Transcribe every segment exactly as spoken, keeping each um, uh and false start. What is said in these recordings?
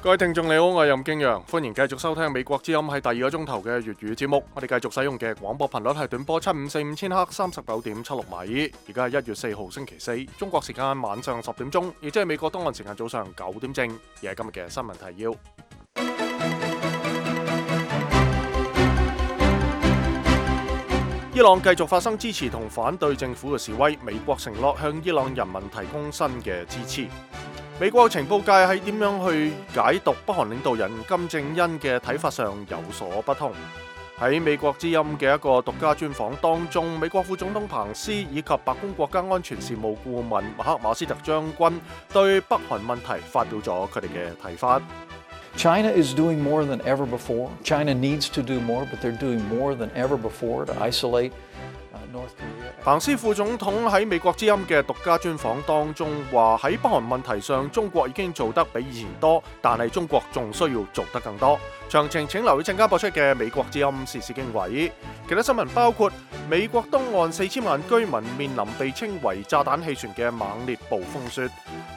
各位聽眾你好，我係任敬陽，歡迎繼續收聽美國之音喺第二個鐘頭嘅粵語節目。我哋繼續使用嘅廣播頻率係短波七五四五千赫三十九點七六米。而家係一月四號星期四，中國時間晚上十點鐘，亦即係美國東岸時間早上九點正。而係今日嘅新聞提要。伊朗繼續發生支持同反對政府嘅示威，美國承諾向伊朗人民提供新嘅支持。美國情報界喺點樣去解讀北韓領導人金正恩嘅睇法上有所不同。喺美國之音嘅一個獨家專訪當中，美國副總統彭斯以及白宮國家安全事務顧問麥克馬斯特將軍對北韓問題發表咗佢哋嘅睇法。China is doing more than ever before. China needs to do more, but they're doing more than ever before to isolate North Korea. 彭斯副總統喺美國之音嘅獨家專訪當中話，喺北韓問題上，中國已經做得比以前多，但係中國仲需要做得更多。詳情請留意陣間播出嘅美國之音時事經緯。其他新聞包括美國東岸四千萬居民面臨被稱為炸彈氣旋嘅猛烈暴風雪。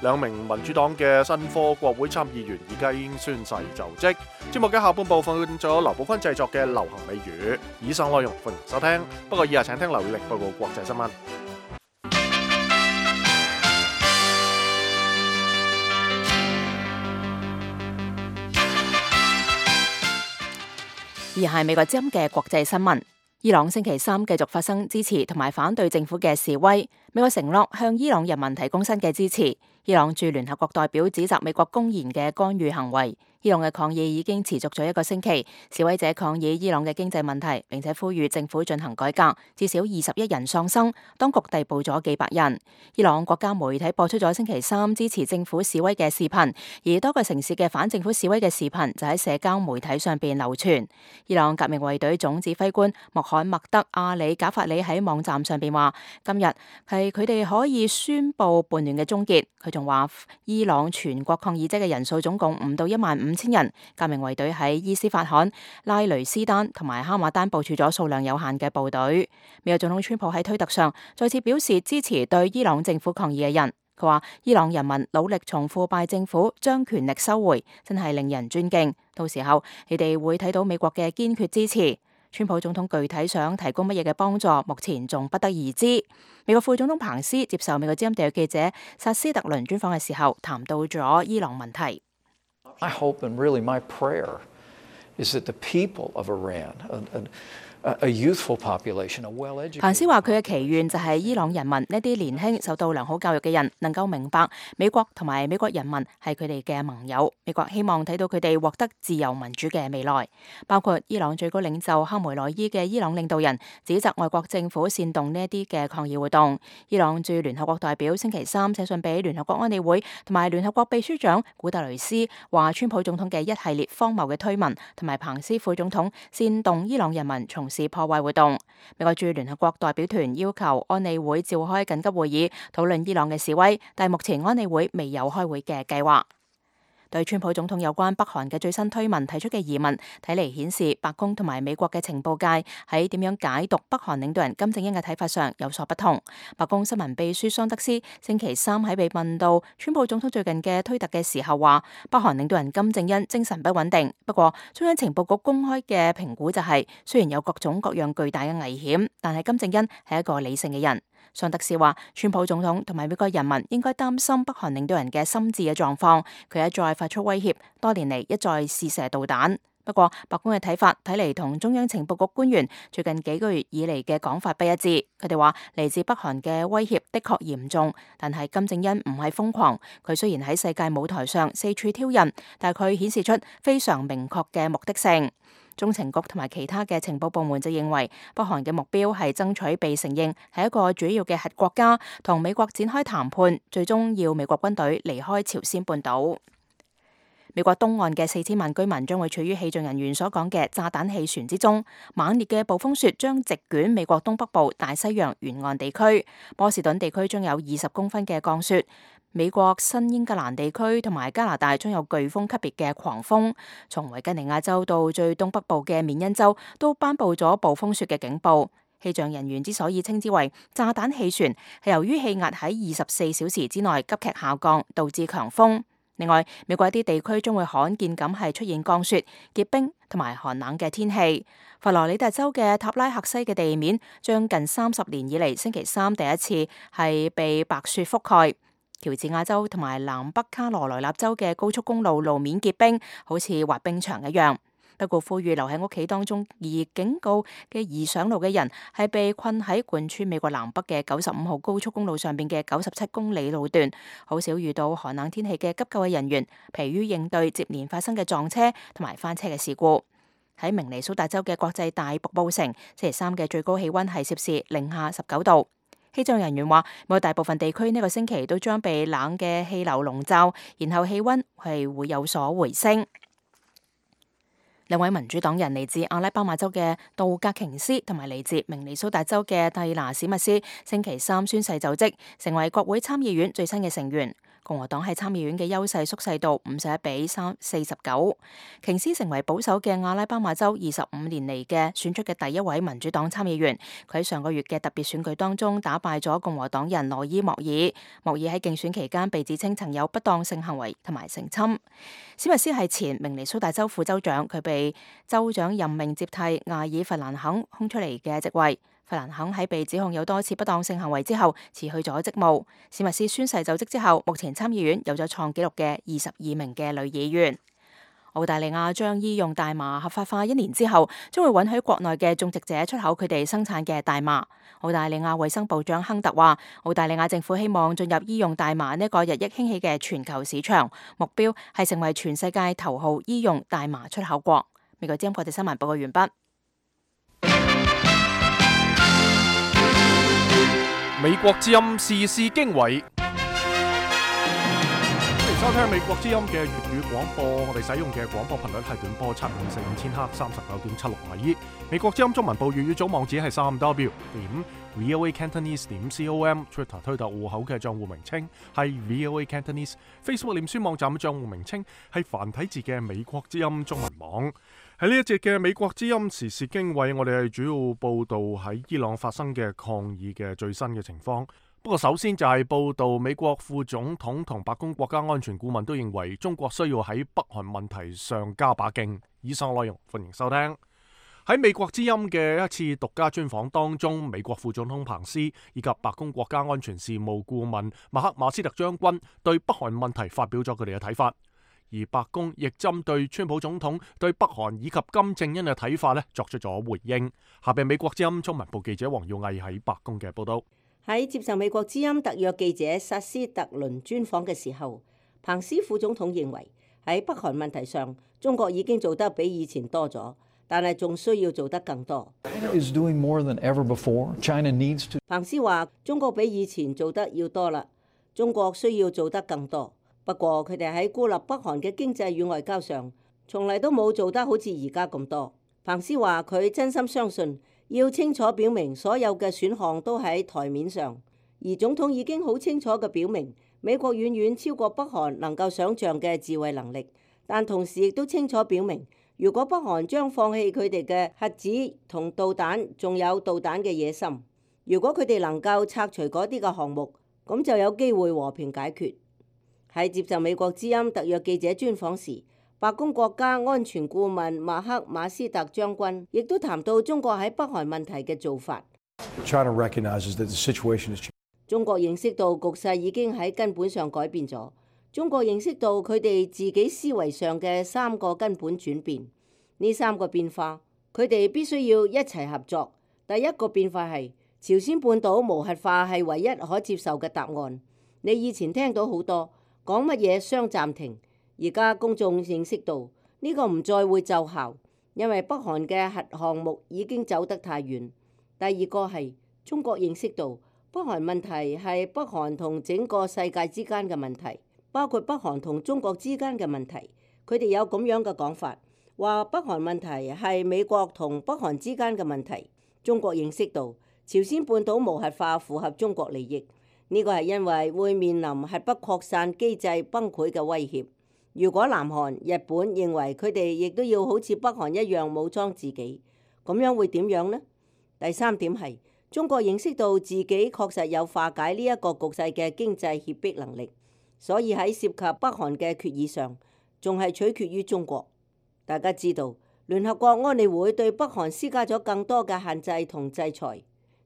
兩名民主黨嘅新科國會參議員而家已經宣誓就職。節目嘅下半部分咗劉寶坤製作嘅流行美語。以上內容歡迎收聽。不過以下請聽劉宇力報告國際新聞。而係美國之音嘅國際新聞。伊朗星期三繼續發生支持同埋反對政府嘅示威，美國承諾向伊朗人民提供新嘅支持。伊朗駐聯合國代表指責美國公然嘅干預行為。伊朗嘅抗議已經持續咗一個星期，示威者抗議伊朗嘅經濟問題，並且呼籲政府進行改革。至少二十一人喪生，當局逮捕咗幾百人。伊朗國家媒體播出咗星期三支持政府示威嘅視頻，而多個城市嘅反政府示威嘅視頻就喺社交媒體上邊流傳。伊朗革命衛隊總指揮官穆罕默德阿里賈法里喺網站上邊話，今日係佢哋可以宣布叛亂嘅終結。佢仲話，伊朗全國抗議者嘅人數總共唔到一萬五千人。革命衛隊喺伊斯法罕、拉雷斯丹同埋哈馬丹部署咗數量有限嘅部隊。美國總統川普喺推特上再次表示支持對伊朗政府抗議嘅人。佢話，伊朗人民努力從腐敗政府將權力收回，真係令人尊敬。到時候你哋會睇到美國嘅堅決支持。川普總統具體想提供乜嘢嘅幫助，目前仲不得而知。美國副總統彭斯接受美國之音特約記者薩斯特倫專訪嘅時候，談到咗伊朗問題。I hope and really my prayer is that the people of Iran, a, a youthful population, a well-educated. 彭斯話佢嘅祈願就係伊朗人民呢啲年輕受到良好教育嘅人能夠明白美國同埋美國人民係佢哋嘅盟友。美國希望睇到佢哋獲得自由民主嘅未來。包括伊朗最高領袖哈梅內伊嘅伊朗領導人指責外國政府煽動呢一啲嘅抗議活動。伊朗駐聯合國代表星期三寫信俾聯合國安理會同埋聯合國秘書長古特雷斯，話川普總統嘅一系列荒謬嘅推文同埋彭斯副總統煽動伊朗人民從事破壞活動。美國駐聯合國代表團要求安理會召開緊急會議討論伊朗嘅示威，但目前安理會未有開會嘅計劃。對川普總統有關北韓嘅最新推文提出嘅疑問，睇嚟顯示白宮同埋美國嘅情報界喺點樣解讀北韓領導人金正恩嘅睇法上有所不同。白宮新聞秘書桑德斯星期三喺被問到川普總統最近嘅推特嘅時候話，北韓領導人金正恩精神不穩定。不過中央情報局公開嘅評估就係、是，雖然有各種各樣巨大嘅危險，但係金正恩係一個理性嘅人。桑德斯話，川普總統同埋美國人民應該擔心北韓領導人嘅心智嘅狀況。佢一再發出威脅，多年嚟一再試射導彈。不過白宮嘅睇法睇嚟同中央情報局官員最近幾個月以嚟嘅講法不一致。佢哋話嚟自北韓嘅威脅的確嚴重，但係金正恩唔係瘋狂。佢雖然喺世界舞台上四處挑釁，但係佢顯示出非常明確嘅目的性。中情局同埋其他嘅情報部門就認為，北韓嘅目標係爭取被承認係一個主要嘅核國家，同美國展開談判，最終要美國軍隊離開朝鮮半島。美國東岸嘅四千萬居民將會處於氣象人員所講嘅炸彈氣旋之中，猛烈嘅暴風雪將席捲美國東北部大西洋沿岸地區，波士頓地區將有二十公分嘅降雪。美國新英格蘭地區同埋加拿大將有颶風級別嘅狂風，從維吉尼亞州到最東北部嘅緬因州都頒布咗暴風雪嘅警報。氣象人員之所以稱之為炸彈氣旋，係由於氣壓喺二十四小時之內急劇下降，導致強風。另外，美國一啲地區將會罕見咁係出現降雪、結冰同埋寒冷嘅天氣。佛羅里達州嘅塔拉克西嘅地面將近三十年以嚟星期三第一次係被白雪覆蓋。喬治亞州同埋南北卡羅來納州嘅高速公路路面結冰，好似滑冰場一樣。不過，呼籲留喺屋企當中，而警告嘅易上路嘅人係被困喺貫穿美國南北嘅九十五號高速公路上邊嘅九十七公里路段，好少遇到寒冷天氣嘅急救嘅人員，疲於應對接連發生嘅撞車同埋翻車嘅事故。喺明尼蘇達州嘅國際大瀑布城，星期三嘅最高氣溫係攝氏零下十九度。氣象人員話，美國大部分地區呢個星期都將被冷嘅氣流籠罩，然後氣溫係會有所回升。兩位民主黨人嚟自阿拉巴馬州嘅杜格瓊斯同埋嚟自明尼蘇達州嘅蒂拿史密斯，星期三宣誓就職，成為國會參議院最新嘅成員。共和黨喺參議院嘅優勢縮細到五十一比三四十九。瓊斯成為保守嘅阿拉巴馬州二十五年嚟嘅選出嘅第一位民主黨參議員。佢喺上個月嘅特別選舉當中打敗咗共和黨人羅伊莫爾。莫爾喺競選期間被指稱曾有不當性行為同埋性侵。史密斯係前明尼蘇達州副州長，佢被州長任命接替艾爾弗蘭肯空出嚟嘅職位。弗蘭肯喺被指控有多次不當性行為之後辭去咗職務。史密斯宣誓就職之後，目前參議院有咗創紀錄嘅二十二名嘅女議員。澳大利亞將醫用大麻合法化一年之後，將會允許國內嘅種植者出口佢哋生產嘅大麻。澳大利亞衛生部長亨特話，澳大利亞政府希望進入醫用大麻呢個日益興起嘅全球市場，目標係成為全世界頭號醫用大麻出口國。美國之音國際新聞報告完畢。美國之音時事經緯，歡迎收聽美國之音嘅粵語廣播。我哋使用嘅廣播頻率係短波七五四五千赫三十九點七六米。美國之音中文部粵語組網址係三 W 點 V O A Cantonese 點 com。Twitter 推特戶口嘅賬戶名稱係 V O A Cantonese。Facebook 臉書網站嘅賬戶名稱係繁體字嘅美國之音中文網。喺呢一節嘅美國之音時事經緯，我哋係主要報道喺伊朗發生嘅抗議嘅最新嘅情況。不過首先就係報道美國副總統同白宮國家安全顧問都認為中國需要喺北韓問題上加把勁。以上內容歡迎收聽。喺美國之音嘅一次獨家專訪當中，美國副總統彭斯以及白宮國家安全事務顧問麥克馬斯特將軍對北韓問題發表咗佢哋嘅睇法。而白宮亦針對川普總統對北韓以及金正恩嘅睇法咧作出咗回應。下邊美國之音中文部記者黃耀毅喺白宮嘅報道。喺接受美國之音特約記者薩斯特倫專訪嘅時候，彭斯副總統認為喺北韓問題上，中國已經做得比以前多咗，但係仲需要做得更多。is doing more than ever before. China needs to. 彭斯話：中國比以前做得要多啦，中國需要做得更多。不過佢哋喺孤立北韓嘅經濟與外交上，從嚟都冇做得好似而家咁多。彭斯話：佢真心相信要清楚表明所有嘅選項都喺台面上，而總統已經好清楚嘅表明，美國遠遠超過北韓能夠想像嘅自衛能力，但同時亦都清楚表明，如果北韓將放棄佢哋嘅核子同導彈，仲有導彈嘅野心，如果佢哋能夠拆除嗰啲嘅項目，咁就有機會和平解決。喺接受美國之音特約記者專訪時，白宮國家安全顧問馬克馬斯特將軍亦都談到中國喺北韓問題嘅做法。China recognizes that the situation is changing. 中國認識到局勢已經喺根本上改變咗。中國認識到佢哋自己思維上嘅三個根本轉變。呢三個變化，佢哋必須要一齊合作。第一個變化係朝鮮半島無核化係唯一可接受嘅答案。你以前聽到好多講乜嘢雙暫停，而家公眾認識到呢個唔再會奏效，因為北韓嘅核項目已經走得太遠。第二個係中國認識到北韓問題係北韓同整個世界之間嘅問題，包括北韓同中國之間嘅問題。佢哋有咁樣嘅講法，話北韓問題係美國同北韓之間嘅問題。中國認識到朝鮮半島無核化符合中國利益。呢個係因為會面臨核不擴散機制崩潰嘅威脅。如果南韓、日本認為佢哋亦都要好似北韓一樣武裝自己，咁樣會點樣呢？第三點係中國認識到自己確實有化解呢一個局勢嘅經濟脅迫能力。所以喺涉及北韓嘅決議上，仲係取決於中國。大家知道，聯合國安理會對北韓施加咗更多嘅限制同制裁，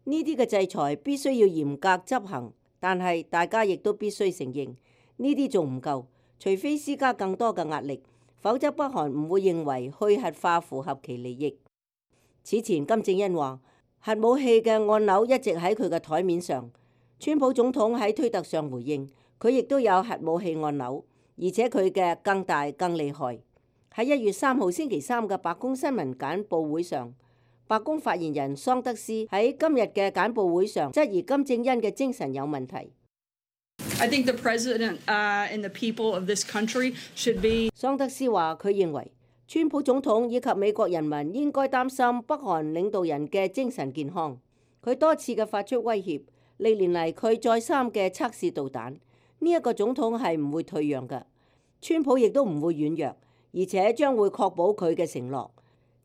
呢啲嘅制裁必須要嚴格執行，但係大家亦都必須承認，呢啲仲唔夠，除非施加更多嘅壓力，否則北韓唔會認為去核化符合其利益。此前金正恩話核武器嘅按鈕一直喺佢嘅台面上，川普總統喺推特上回應，佢亦都有核武器按鈕，而且佢嘅更大更厲害。喺一月三號星期三嘅白宮新聞簡報會上，白宮發言人桑德斯喺今日嘅簡報會上質疑金正恩嘅精神有問題。I think the president, uh, and the people of this country should be... 桑德斯話佢認為川普總統以及美國人民應該擔心北韓領導人嘅精神健康。佢多次嘅發出威脅，歷年嚟佢再三嘅測試導彈，呢、這、一個總統係唔會退讓嘅，川普亦都唔會軟弱，而且將會確保佢嘅承諾，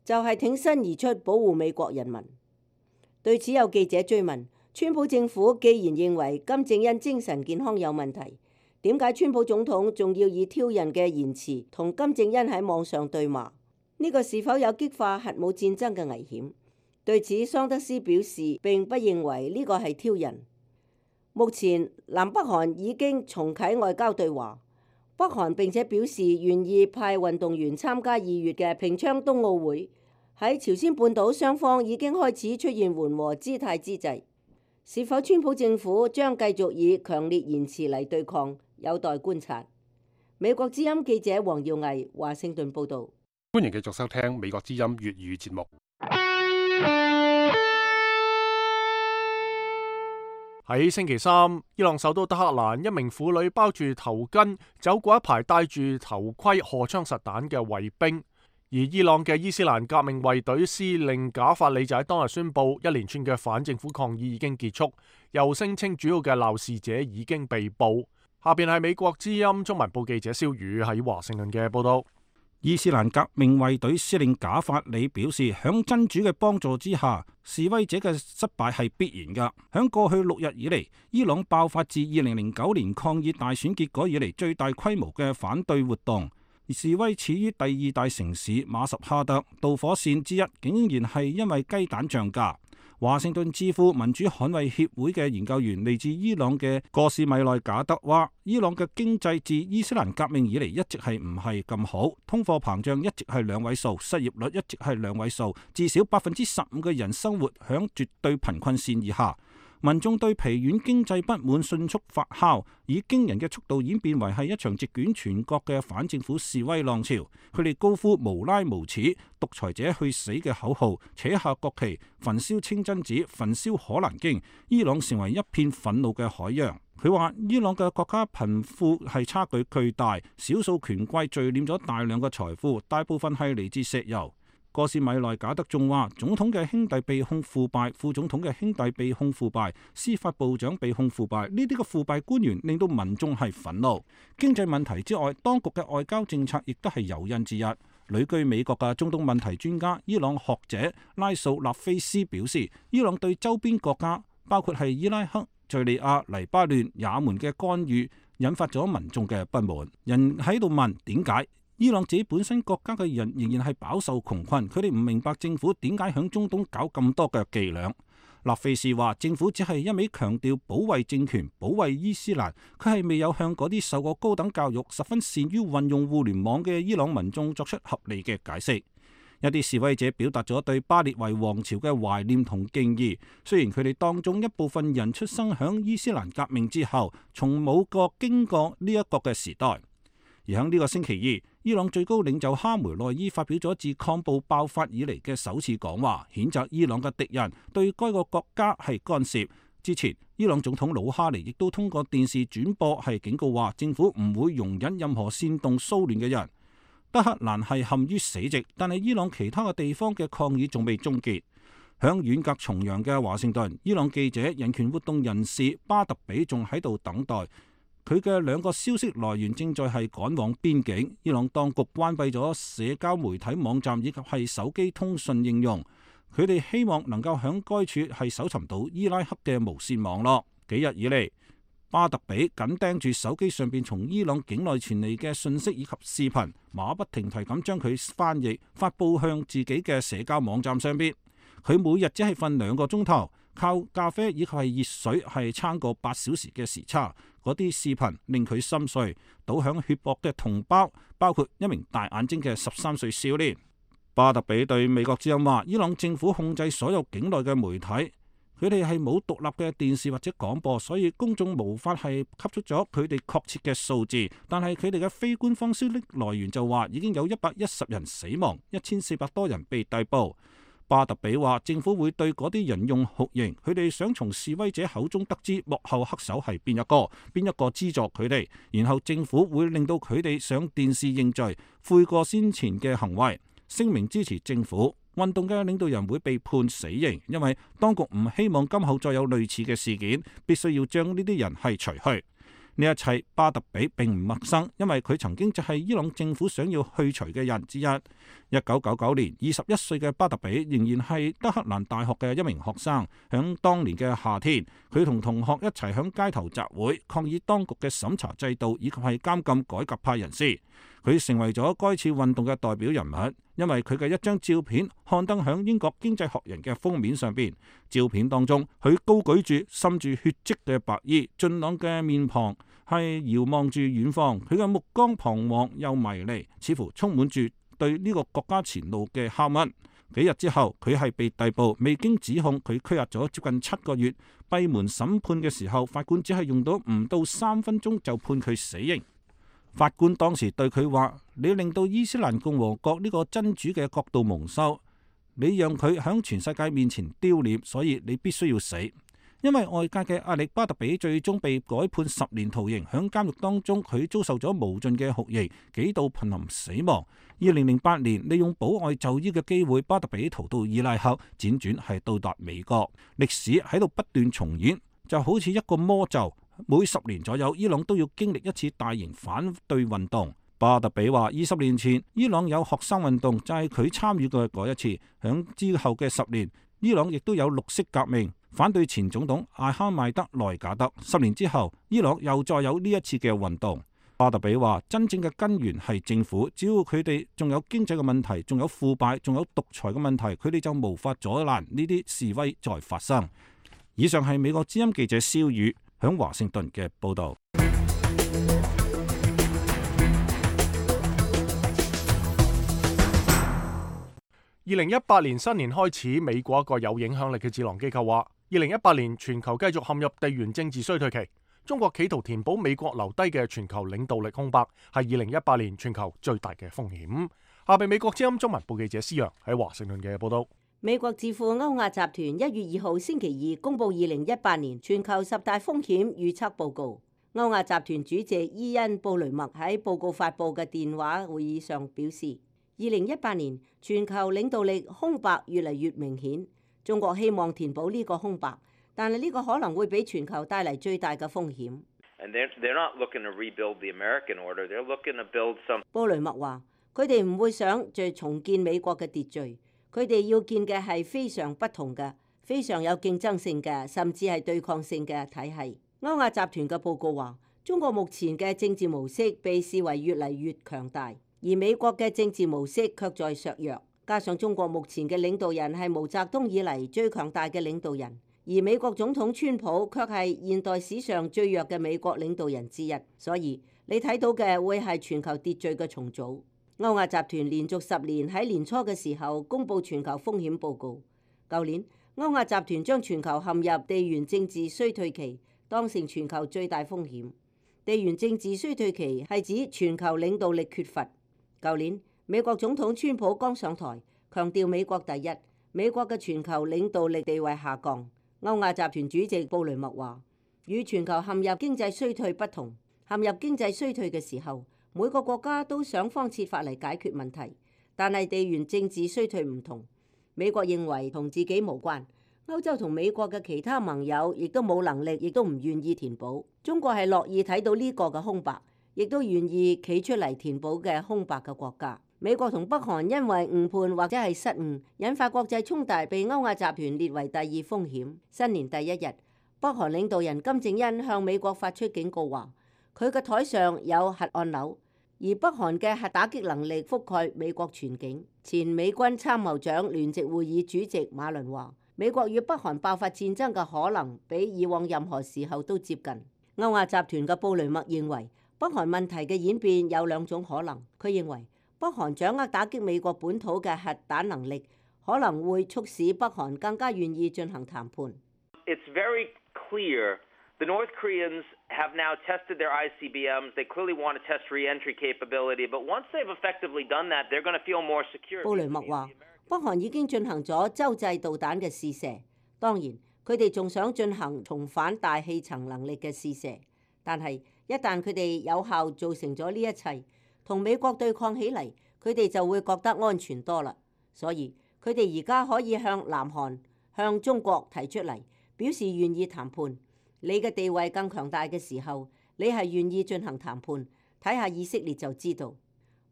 就係、是、挺身而出保護美國人民。對此有記者追問，川普政府既然認為金正恩精神健康有問題，點解川普總統仲要以挑釁嘅言辭同金正恩喺網上對罵？呢、這個是否有激化核武戰爭嘅危險？對此，桑德斯表示並不認為呢個係挑釁。目前南北韓已經重啟外交對話，北韓並且表示願意派運動員參加二月嘅平昌冬奧會。喺朝鮮半島雙方已經開始出現緩和姿態之際，是否川普政府將繼續以強烈言辭嚟對抗，有待觀察。美國之音記者黃耀毅華盛頓報導。歡迎繼續收聽美國之音粵語節目。喺星期三，伊朗首都德黑蘭，一名婦女包住頭巾走過一排戴住頭盔、荷槍實彈嘅衛兵，而伊朗嘅伊斯蘭革命衛隊司令賈法里就喺當日宣布，一連串嘅反政府抗議已經結束，又聲稱主要嘅鬧事者已經被捕。下邊係美國之音中文部記者蕭宇喺華盛頓嘅報道。伊斯蘭革命衛隊司令賈法里表示，響真主嘅幫助之下，示威者嘅失敗係必然噶。響過去六日以嚟，伊朗爆發自二零零九年抗議大選結果以嚟最大規模嘅反對活動，而示威始於第二大城市馬什哈德，導火線之一竟然係因為雞蛋漲價。華盛頓智庫民主捍衛協會嘅研究員嚟自伊朗嘅戈士米內賈德話，伊朗嘅經濟自伊斯蘭革命以嚟一直係唔係咁好，通貨膨脹一直係兩位數，失業率一直係兩位數，至少百分之十五嘅人生活響絕對貧困線以下。民眾對疲軟經濟不滿迅速發酵，以驚人嘅速度演變為係一場席捲全國嘅反政府示威浪潮。佢哋高呼無拉無恥、獨裁者去死嘅口號，扯下國旗，焚燒清真寺，焚燒可蘭經。伊朗成為一片憤怒嘅海洋。佢話伊朗嘅國家貧富係差距巨大，少數權貴聚斂咗大量嘅財富，大部分係嚟自石油。戈士米內賈德仲話，總統嘅兄弟被控腐敗，副總統嘅兄弟被控腐敗，司法部長被控腐敗，呢啲嘅腐敗官員令到民眾係憤怒。經濟問題之外，當局嘅外交政策亦都係誘因之一。旅居美國嘅中東問題專家、伊朗學者拉素納菲斯表示，伊朗對周邊國家，包括係伊拉克、敘利亞、黎巴嫩、也門嘅干預，引發咗民眾嘅不滿。人喺度問點解？伊朗自己本身國家嘅人仍然係飽受窮困，佢哋唔明白政府點解響中東搞咁多嘅伎倆。納菲士話，政府只係一味強調保衛政權、保衛伊斯蘭，佢係未有向嗰啲受過高等教育、十分善於運用互聯網嘅伊朗民眾作出合理嘅解釋。一啲示威者表達咗對巴列維王朝嘅懷念同敬意，雖然佢哋當中一部分人出生響伊斯蘭革命之後，從冇過經過呢一個嘅時代。而喺呢個星期二，伊朗最高領袖哈梅內伊發表咗自抗暴爆發以嚟嘅首次講話，譴責伊朗嘅敵人對該個國家係干涉。之前，伊朗總統魯哈尼亦都通過電視轉播係警告話，政府唔會容忍任何煽動騷亂嘅人。德黑蘭係陷於死寂，但係伊朗其他嘅地方嘅抗議仲未終結。響遠隔重洋嘅華盛頓，伊朗記者、人權活動人士巴特比仲喺度等待。佢嘅兩個消息來源正在係趕往邊境。伊朗當局關閉咗社交媒體網站以及係手機通訊應用，佢哋希望能夠響該處係搜尋到伊拉克嘅無線網絡。幾日以嚟，巴特比緊盯住手機上邊從伊朗境內傳嚟嘅信息以及視頻，馬不停蹄咁將佢翻譯發佈向自己嘅社交網站上邊。佢每日只係瞓兩個鐘頭，靠咖啡以及係熱水係撐過八小時嘅時差。嗰啲視頻令佢心碎，倒響血泊嘅同胞包括一名大眼睛嘅十三歲少年。巴特比對美國之音話：伊朗政府控制所有境內嘅媒體。佢哋係冇獨立嘅電視或者廣播，所以公眾無法係吸出咗佢哋確切嘅數字。但係佢哋嘅非官方消息來源就話已經有一百一十人死亡，一千四百多人被逮捕。巴特比話政府會對嗰啲人用酷刑，佢哋想從示威者口中得知幕後黑手係邊一個，邊一個資助佢哋，然後政府會令到佢哋上電視認罪，悔過先前嘅行為，聲明支持政府。運動嘅領導人會被判死刑，因為當局唔希望今後再有類似嘅事件，必須要將呢啲人係除去。呢一切巴特比並唔陌生，因為佢曾經就係伊朗政府想要去除嘅人之一。一九九九年，二十一歲嘅巴特比仍然係德黑蘭大學嘅一名學生。響當年嘅夏天，佢同同學一齊響街頭集會，抗議當局嘅審查制度以及係監禁改革派人士。佢成為咗該次運動嘅代表人物，因為佢嘅一張照片刊登響英國經濟學人嘅封面上邊。照片當中，佢高舉住滲住血跡嘅白衣，俊朗嘅面龐係遙望住遠方，佢嘅目光彷徨又迷離，似乎充滿住對呢個國家前路嘅拷問。幾日之後，佢係被逮捕，未經指控，佢拘押咗接近七個月。閉門審判嘅時候，法官只係用到唔到三分鐘就判佢死刑。法官當時對佢話：你令到伊斯蘭共和國呢個真主嘅國度蒙羞，你讓佢響全世界面前丟臉，所以你必須要死。因為外界嘅壓力，巴特比最終被改判十年徒刑。響監獄當中，佢遭受咗無盡嘅酷刑，幾度瀕臨死亡。二零零八年，利用保外就醫嘅機會，巴特比逃到伊拉克，輾轉係到達美國。歷史喺度不斷重演，就好似一個魔咒。每十年左右，伊朗都要經歷一次大型反對運動。巴特比話：二十年前，伊朗有學生運動，就係佢參與嘅嗰一次。響之後嘅十年，伊朗亦都有綠色革命，反對前總統艾哈邁德內賈德。十年之後，伊朗又再有呢一次嘅運動。巴特比話：真正嘅根源係政府，只要佢哋仲有經濟嘅問題，仲有腐敗，仲有獨裁嘅問題，佢哋就無法阻攔呢啲示威再發生。以上係美國之音記者蕭宇響華盛頓嘅報道。二零一八年新年開始，美國一個有影響力嘅智囊機構話，二零一八年全球繼續陷入地緣政治衰退期。中國企圖填補美國留低嘅全球領導力空白，係二零一八年全球最大嘅風險。下邊美國之音中文部記者施陽喺華盛頓嘅報道。美國智庫歐亞集團一月二號星期二公布二零一八年全球十大風險預測報告。歐亞集團主席伊恩布雷默喺報告發佈嘅電話會議上表示，二零一八年全球領導力空白越嚟越明顯，中國希望填補呢個空白，但係呢個可能會俾全球帶嚟最大嘅風險。布雷默話：佢哋唔會想再重建美國嘅秩序。佢哋要建嘅係非常不同嘅、非常有競爭性嘅，甚至係對抗性嘅體系。歐亞集團嘅報告話，中國目前嘅政治模式被視為越嚟越強大，而美國嘅政治模式卻在削弱。加上中國目前嘅領導人係毛澤東以嚟最強大嘅領導人，而美國總統川普卻係現代史上最弱嘅美國領導人之一。所以你睇到嘅會係全球秩序嘅重組。歐亞集團連續十年喺年初嘅時候公布全球風險報告。舊年歐亞集團將全球陷入地緣政治衰退期當成全球最大風險。地緣政治衰退期係指全球領導力缺乏。舊年美國總統川普剛上台，強調美國第一，美國嘅全球領導力地位下降。歐亞集團主席布雷默話：與全球陷入經濟衰退不同，陷入經濟衰退嘅時候，每個國家都想方設法嚟解決問題，但係地緣政治衰退唔同。美國認為同自己無關，歐洲同美國嘅其他盟友亦都冇能力，亦都唔願意填補。中國係樂意睇到呢個嘅空白，亦都願意企出嚟填補嘅空白嘅國家。美國同北韓因為誤判或者係失誤，引發國際衝突，被歐亞集團列為第二風險。新年第一日，北韓領導人金正恩向美國發出警告話，佢嘅台上有核按鈕，而北韓嘅核打擊能力覆蓋美國全境。前美軍參謀長聯席會議主席馬倫話，美國與北韓爆發戰爭嘅可能比以往任何時候都接近。歐亞集團嘅布雷默認為，北韓問題嘅演變有兩種可能。佢認為北韓掌握打擊美國本土嘅核彈能力，可能會促使北韓更加願意進行談判。It's very clear the North Koreans have now tested their I C B Ms. They clearly want to test re-entry capability, but once they've effectively done that, they're going to feel more secure. 布雷默話，北韓已經進行咗洲際導彈嘅試射，當然佢哋仲想進行重返大氣層能力嘅試射，但係一旦佢哋有效做成咗呢一切，同美國對抗起嚟，佢哋就會覺得安全多啦。所以佢哋而家可以向南韓、向中國提出嚟，表示願意談判。你嘅地位更強大嘅時候，你係願意進行談判。睇下以色列就知道。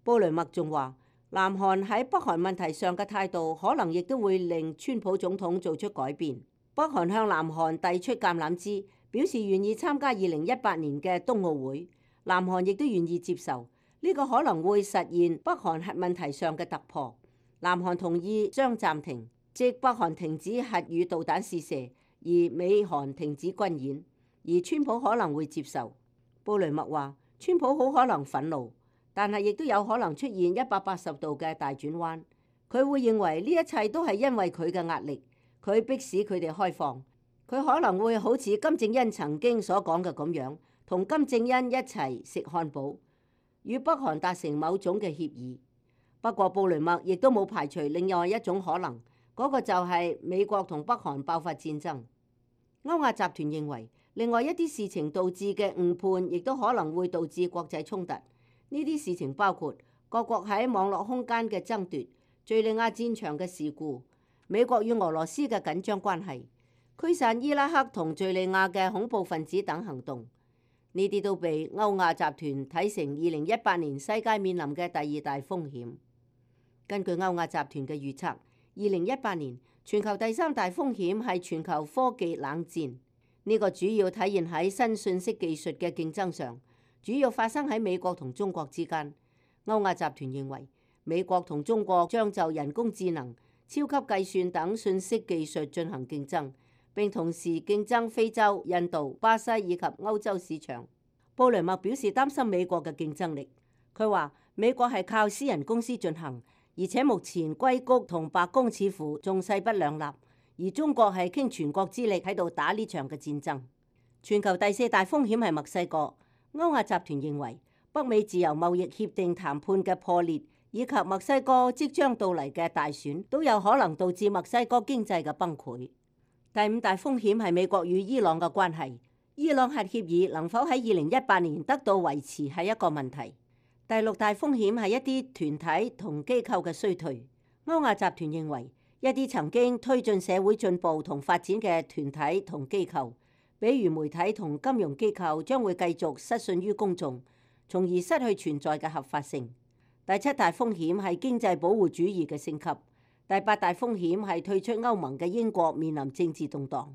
布雷默仲話，南韓喺北韓問題上嘅態度，可能亦都會令川普總統做出改變。北韓向南韓遞出橄欖枝，表示願意參加二零一八年嘅冬奧會。南韓亦都願意接受，呢個可能會實現北韓核問題上嘅突破。南韓同意將暫停，即北韓停止核與導彈試射，而美韓停止軍演，而川普可能會接受。布雷默話，川普好可能憤怒，但係亦都有可能出現一百八十度嘅大轉彎。佢會認為呢一切都係因為佢嘅壓力，佢迫使佢哋開放。佢可能會好似金正恩曾經所講嘅咁樣，同金正恩一齊食漢堡，與北韓達成某種嘅協議。不過布雷默亦都冇排除另外一種可能，嗰個就係美國同北韓爆發戰爭。歐亞集團認為，另外一啲事情導致嘅誤判，亦都可能會導致國際衝突。呢啲事情包括各國喺網絡空間嘅爭奪、敘利亞戰場嘅事故、美國與俄羅斯嘅緊張關係、驅散伊拉克同敘利亞嘅恐怖分子等行動。呢啲都被歐亞集團睇成二零一八年世界面臨嘅第二大風險。根據歐亞集團嘅預測，二零一八年全球第三大風險係全球科技冷戰。呢個主要體現喺新信息技術嘅競爭上，主要發生喺美國同中國之間。歐亞集團認為，美國同中國將就人工智能、超級計算等信息技術進行競爭，並同時競爭非洲、印度、巴西以及歐洲市場。布雷默表示擔心美國嘅競爭力。佢話美國係靠私人公司進行，而且目前硅谷同白宮似乎仲勢不兩立，而中國係傾全國之力喺度打呢場嘅戰爭。全球第四大風險係墨西哥。歐亞集團認為北美自由貿易協定談判嘅破裂，以及墨西哥即將到嚟嘅大選，都有可能導致墨西哥經濟嘅崩潰。第五大風險係美國與伊朗嘅關係。伊朗核協議能否喺二零一八年得到維持係一個問題。第六大風險係一啲團體同機構嘅衰退。歐亞集團認為一啲曾經推進社會進步同發展嘅團體同機構，比如媒體同金融機構，將會繼續失信於公眾，從而失去存在嘅合法性。第七大風險係經濟保護主義嘅升級。第八大風險係退出歐盟嘅英國面臨政治動盪。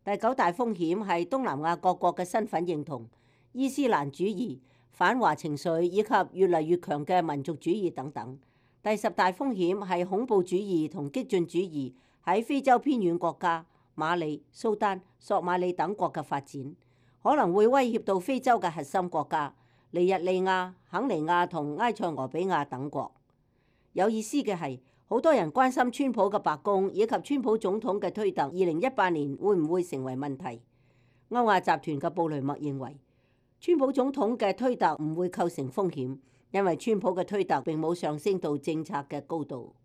第九大風險係東南亞各國嘅身份認同、伊斯蘭主義、反華情緒以及越嚟越強嘅民族主義等等。第十大風險係恐怖主義同激進主義喺非洲偏遠國家馬里、蘇丹、索馬里等國嘅發展，可能會威脅到非洲嘅核心國家尼日利亞、肯尼亞同埃塞俄比亞等國。有意思嘅係，好多人關心川普嘅白宮以及川普總統嘅推特，二零一八年會唔會成為問題？歐亞集團嘅布雷默認為，川普總統嘅推特唔會構成風險，因為川普嘅推特並冇上升到政策嘅高度。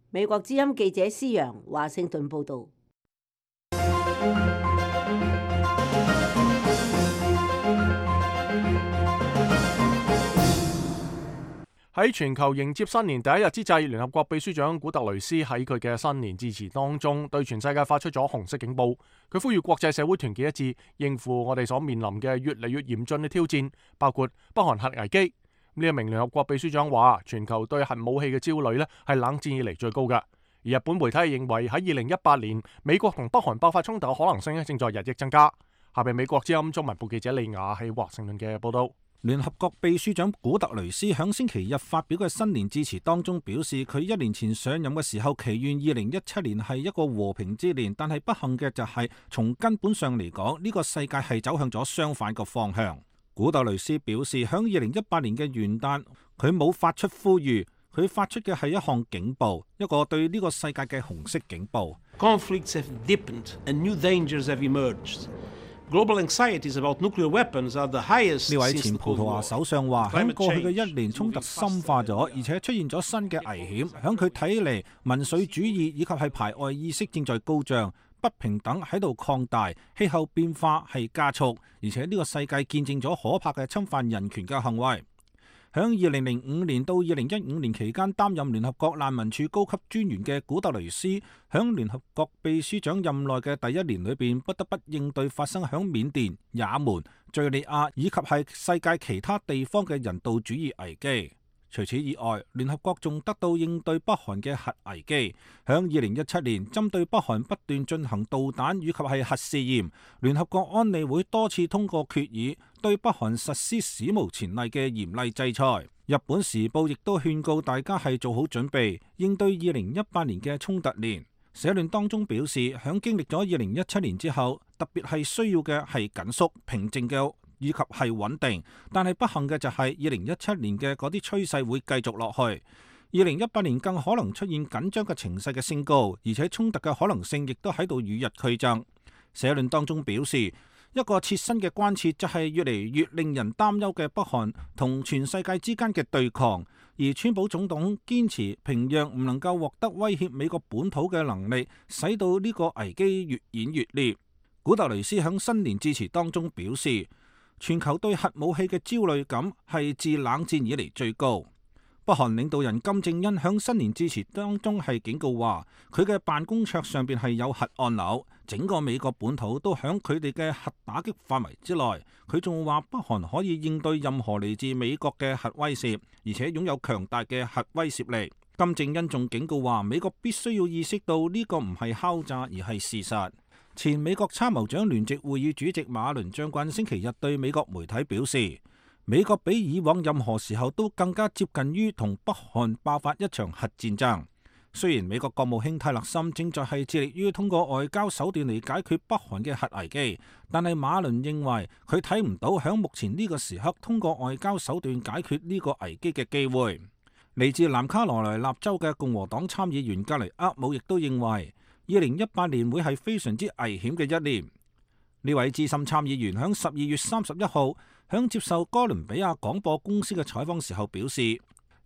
美國之音記者施揚華盛頓報導。喺全球迎接新年第一日之際，聯合國秘書長古特雷斯喺佢嘅新年致辭當中，對全世界發出咗紅色警報。佢呼籲國際社會團結一致，應付我哋所面臨嘅越嚟越嚴峻嘅挑戰，包括北韓核危機。呢一名聯合國秘書長話，全球對核武器嘅焦慮咧係冷戰以嚟最高嘅。而日本媒體認為喺二零一八年，美國同北韓爆發衝突嘅可能性正在日益增加。下邊美國之音中文部記者李雅喺華盛頓嘅報道。聯合國秘書長古特雷斯響星期日發表嘅新年致辭當中表示，佢一年前上任嘅時候祈願二零一七年係一個和平之年，但係不幸嘅就係從根本上嚟講，呢個世界係走向咗相反個方向。古特雷斯表示，響二零一八年嘅元旦，佢冇發出呼籲，佢發出嘅係一項警報，一個對呢個世界嘅紅色警報。Conflicts have deepened and new dangers have emerged. Global anxieties about nuclear weapons are the highest. 呢位前葡萄牙首相話，喺過去嘅一年，衝突深化咗，而且出現咗新嘅危險。響佢睇嚟，民粹主義以及係排外意識正在高漲，不平等喺度擴大，氣候變化係加速，而且呢個世界見證咗可怕嘅侵犯人權嘅行為。響二零零五年到二零一五年期間擔任聯合國難民署高級專員嘅古特雷斯，響聯合國秘書長任內嘅第一年裏邊，不得不應對發生響緬甸、也門、敘利亞以及係世界其他地方嘅人道主義危機。除此以外，聯合國仲得到應對北韓嘅核危機。響二零一七年，針對北韓不斷進行導彈以及係核試驗，聯合國安理會多次通過決議，對北韓實施史無前例嘅嚴厲制裁。日本時報亦都勸告大家係做好準備，應對二零一八年嘅衝突年。社論當中表示，響經歷咗二零一七年之後，特別係需要嘅係緊縮、平靜嘅以及係穩定，但係不幸嘅就係二零一七年嘅嗰啲趨勢會繼續落去。二零一八年更可能出現緊張嘅情勢嘅升高，而且衝突嘅可能性亦都喺度與日俱增。社論當中表示，一個切身嘅關切就係越嚟越令人擔憂嘅北韓同全世界之間嘅對抗，而川普總統堅持平壤唔能夠獲得威脅美國本土嘅能力，使到呢個危機越演越烈。古特雷斯喺新年致辭當中表示，全球對核武器嘅焦慮感係自冷戰以嚟最高。北韓領導人金正恩響新年致辭當中係警告話，佢嘅辦公桌上邊係有核按鈕，整個美國本土都響佢哋嘅核打擊範圍之內。佢仲話北韓可以應對任何嚟自美國嘅核威懾，而且擁有強大嘅核威懾力。金正恩仲警告話，美國必須要意識到呢個唔係敲詐而係事實。前美國參謀長聯席會議主席馬倫將軍星期日對美國媒體表示，美國比以往任何時候都更加接近於同北韓爆發一場核戰爭。雖然美國國務卿泰勒森正在係致力於通過外交手段嚟解決北韓嘅核危機，但係馬倫認為佢睇唔到響目前呢個時刻通過外交手段解決呢個危機嘅機會。嚟自南卡羅來納州嘅共和黨參議員格雷厄姆亦都認為，二零一八年會係非常之危險嘅一年。呢位資深參議員響十二月三十一號響接受哥倫比亞廣播公司嘅採訪時候表示，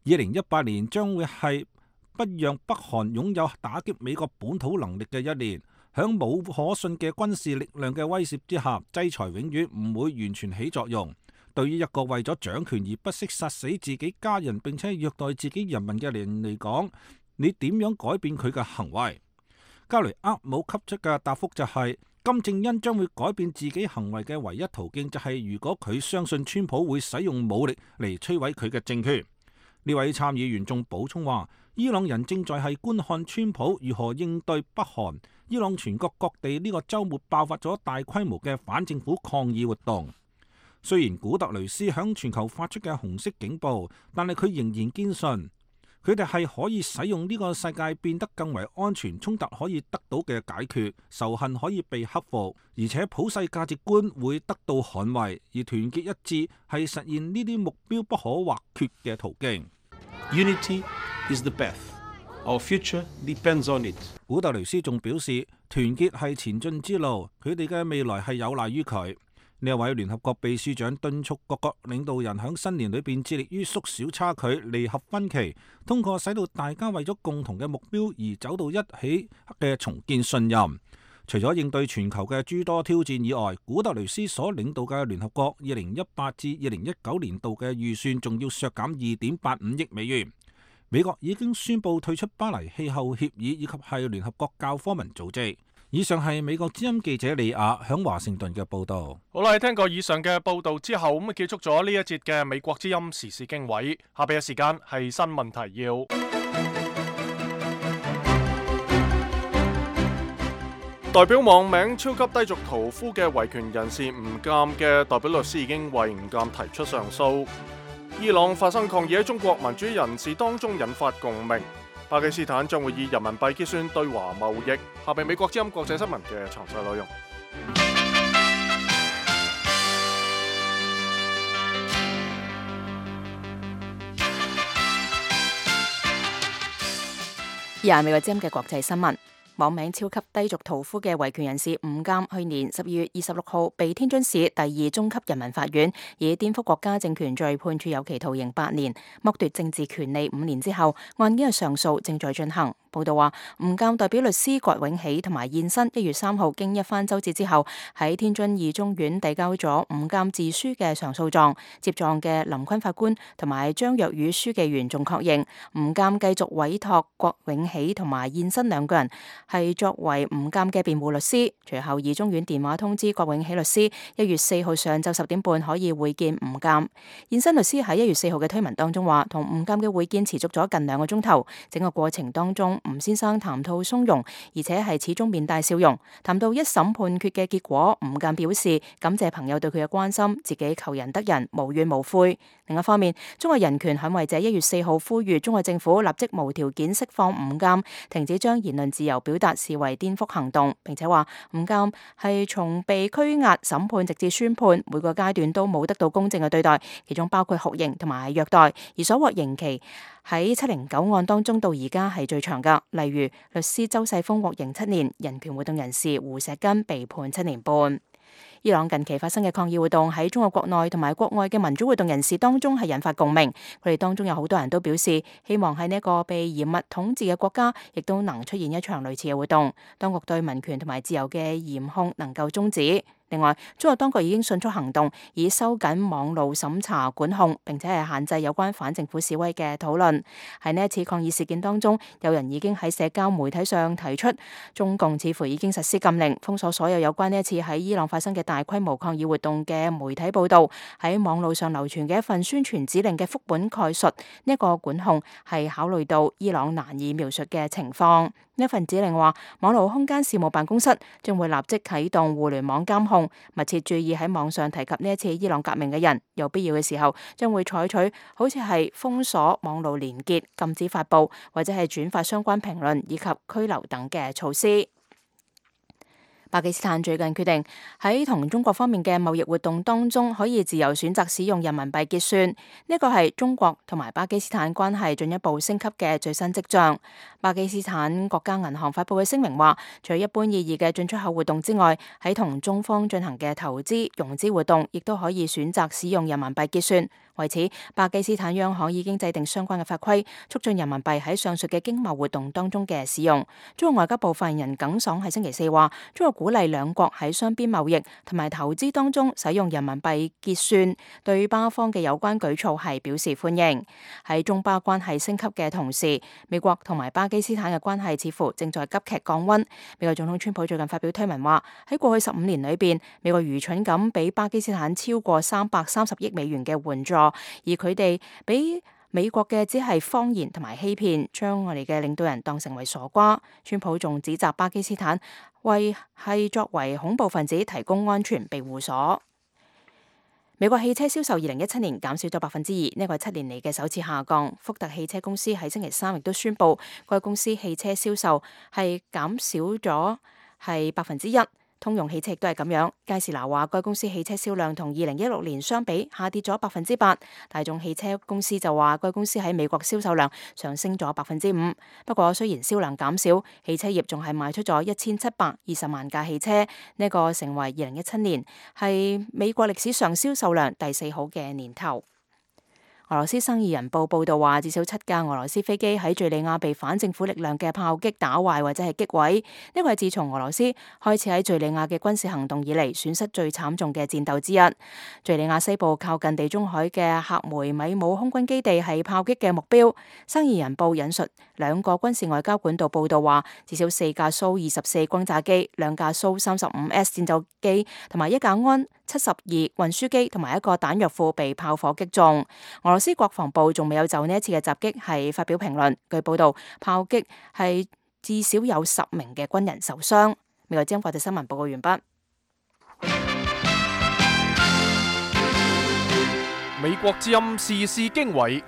二零一八年將會係不讓北韓擁有打擊美國本土能力嘅一年。響冇可信嘅軍事力量嘅威懾之下，制裁永遠唔會完全起作用。對於一個為咗掌權而不惜殺死自己家人並且虐待自己人民嘅人嚟講，你點樣改變佢嘅行為？加雷厄姆給出嘅答覆就係，金正恩將會改變自己行為嘅唯一途徑就係如果佢相信川普會使用武力嚟摧毀佢嘅政權。呢位參議員仲補充話，伊朗人正在係觀看川普如何應對北韓。伊朗全國各地呢個週末爆發咗大規模嘅反政府抗議活動。雖然古特雷斯響全球發出嘅紅色警報，但係佢仍然堅信佢哋係可以使用呢個世界變得更為安全，衝突可以得到嘅解決，仇恨可以被克服，而且普世價值觀會得到捍衛，而團結一致係實現呢啲目標不可或缺嘅途徑。Unity is the path. Our future depends on it. 古特雷斯仲表示，團結係前進之路，佢哋嘅未來係有賴於佢。呢一位聯合國秘書長敦促各國領導人喺新年裏邊致力於縮小差距、彌合分歧，通過使到大家為咗共同嘅目標而走到一起嘅重建信任。除咗應對全球嘅諸多挑戰以外，古特雷斯所領導嘅聯合國二零一八至二零一九年度嘅預算仲要削減二點八五億美元。美國已經宣布退出巴黎氣候協議以及係聯合國教科文組織。以上係美國之音記者李亞響華盛頓嘅報道。好啦，聽過以上嘅報道之後，咁啊結束咗呢一節嘅美國之音時事經緯。下邊嘅時間係新聞提要。代表網名超級低俗屠夫嘅維權人士吳鑑嘅代表律師已經為吳鑑提出上訴。伊朗發生抗議喺中國民主人士當中引發共鳴。巴基斯坦將會以人民幣結算對華貿易。下邊美國之音國際新聞嘅詳細內容。以下美國之音嘅國際新聞。網名超級低俗屠夫嘅維權人士吳鑑，去年十二月二十六號被天津市第二中級人民法院以顛覆國家政權罪判處有期徒刑八年，剝奪政治權利五年之後，案件嘅上訴正在進行。報道話，吳鑑代表律師郭永喜同埋現身一月三號經一番周折之後，喺天津二中院遞交咗吳鑑自書嘅上訴狀。接狀嘅林坤法官同埋張若宇書記員仲確認，吳鑑繼續委託郭永喜同埋現身兩個人係作為吳鑑嘅辯護律師。隨後二中院電話通知郭永喜律師，一月四號上晝十點半可以會見吳鑑。現身律師喺一月四號嘅推文當中話，同吳鑑嘅會見持續咗近兩個鐘頭，整個過程當中，吳先生談吐從容，而且係始終面帶笑容。談到一審判決嘅結果，吳鑑表示感謝朋友對佢嘅關心，自己求仁得仁，無怨無悔。另一方面，中國人權捍衛者一月四號呼籲中國政府立即無條件釋放吳鑑，停止將言論自由表達視為顛覆行動，並且話吳鑑係從被拘押、審判直至宣判每個階段都冇得到公正嘅對待，其中包括酷刑同埋虐待，而所獲刑期喺七零九案當中到而家係最長㗎。例如律師周世峰獲刑七年，人權活動人士胡錫根被判七年半。伊朗近期發生嘅抗議活動喺中國國內同埋國外嘅民主活動人士當中係引發共鳴，佢哋當中有好多人都表示希望喺呢一個被嚴密統治嘅國家，亦都能出現一場類似嘅活動，當局對民權同埋自由嘅嚴控能夠終止。另外，中國當局已經迅速行動，以收緊網路審查管控，並且係限制有關反政府示威嘅討論。喺呢一次抗議事件當中，有人已經喺社交媒體上提出，中共似乎已經實施禁令，封鎖所有有關呢一次喺伊朗發生嘅大規模抗議活動嘅媒體報導。喺網路上流傳嘅一份宣傳指令嘅副本概述，呢、這、一個管控係考慮到伊朗難以描述嘅情況。呢份指令話，網絡空間事務辦公室將會立即啟動互聯網監控，密切注意喺網上提及呢一次伊朗革命嘅人，有必要嘅時候將會採取好似係封鎖網絡連結、禁止發布或者係轉發相關評論以及拘留等嘅措施。巴基斯坦最近決定喺同中國方面嘅貿易活動當中，可以自由選擇使用人民幣結算。呢個係中國同埋巴基斯坦關係進一步升級嘅最新跡象。巴基斯坦國家銀行發布嘅聲明話，除咗一般意義嘅進出口活動之外，喺同中方進行嘅投資融資活動，亦都可以選擇使用人民幣結算。為此，巴基斯坦央行已經制定相關嘅法規，促進人民幣喺上述嘅經貿活動當中嘅使用。中國外交部發言人耿爽喺星期四話，中國鼓勵兩國喺雙邊貿易同埋投資當中使用人民幣結算，對巴方嘅有關舉措係表示歡迎。喺中巴關係升級嘅同時，美國同埋巴基斯坦嘅關係似乎正在急劇降溫。美國總統川普最近發表推文話，喺過去十五年裏邊，美國愚蠢咁俾巴基斯坦超過三百三十億美元嘅援助，而佢哋俾美國嘅只係謊言同埋欺騙，將我哋嘅領導人當成為傻瓜。川普仲指責巴基斯坦為係作為恐怖分子提供安全庇護所。美國汽車銷售二零一七年減少咗百分之二，呢個係七年嚟嘅首次下降。福特汽車公司喺星期三亦都宣布，該公司汽車銷售係減少咗係百分之一。通用汽車亦都係咁樣。佳士拿話，該公司汽車銷量同二零一六年相比下跌咗百分之八。大眾汽車公司就話，該公司喺美國銷售量上升咗百分之五。不過雖然銷量減少，汽車業仲係賣出咗一千七百二十萬架汽車，呢個成為二零一七年係美國歷史上銷售量第四好嘅年頭。俄羅斯生意人報報道話，至少七架俄羅斯飛機喺敘利亞被反政府力量嘅炮擊打壞或者係擊毀。呢個係自從俄羅斯開始喺敘利亞嘅軍事行動以嚟，損失最慘重嘅戰鬥之一。敘利亞西部靠近地中海嘅克梅米姆空軍基地係炮擊嘅目標。生意人報引述兩個軍事外交管道報道話，至少四架蘇二十四轟炸機、兩架蘇三十五 S 戰鬥機同埋一架安七十二運輸機同埋一個彈藥庫被炮火擊中。俄羅斯國防部仲未有就呢一次嘅襲擊係發表評論。據報道，炮擊係至少有十名嘅軍人受傷。美國之音國際新聞報告完畢。美國之音時事經緯。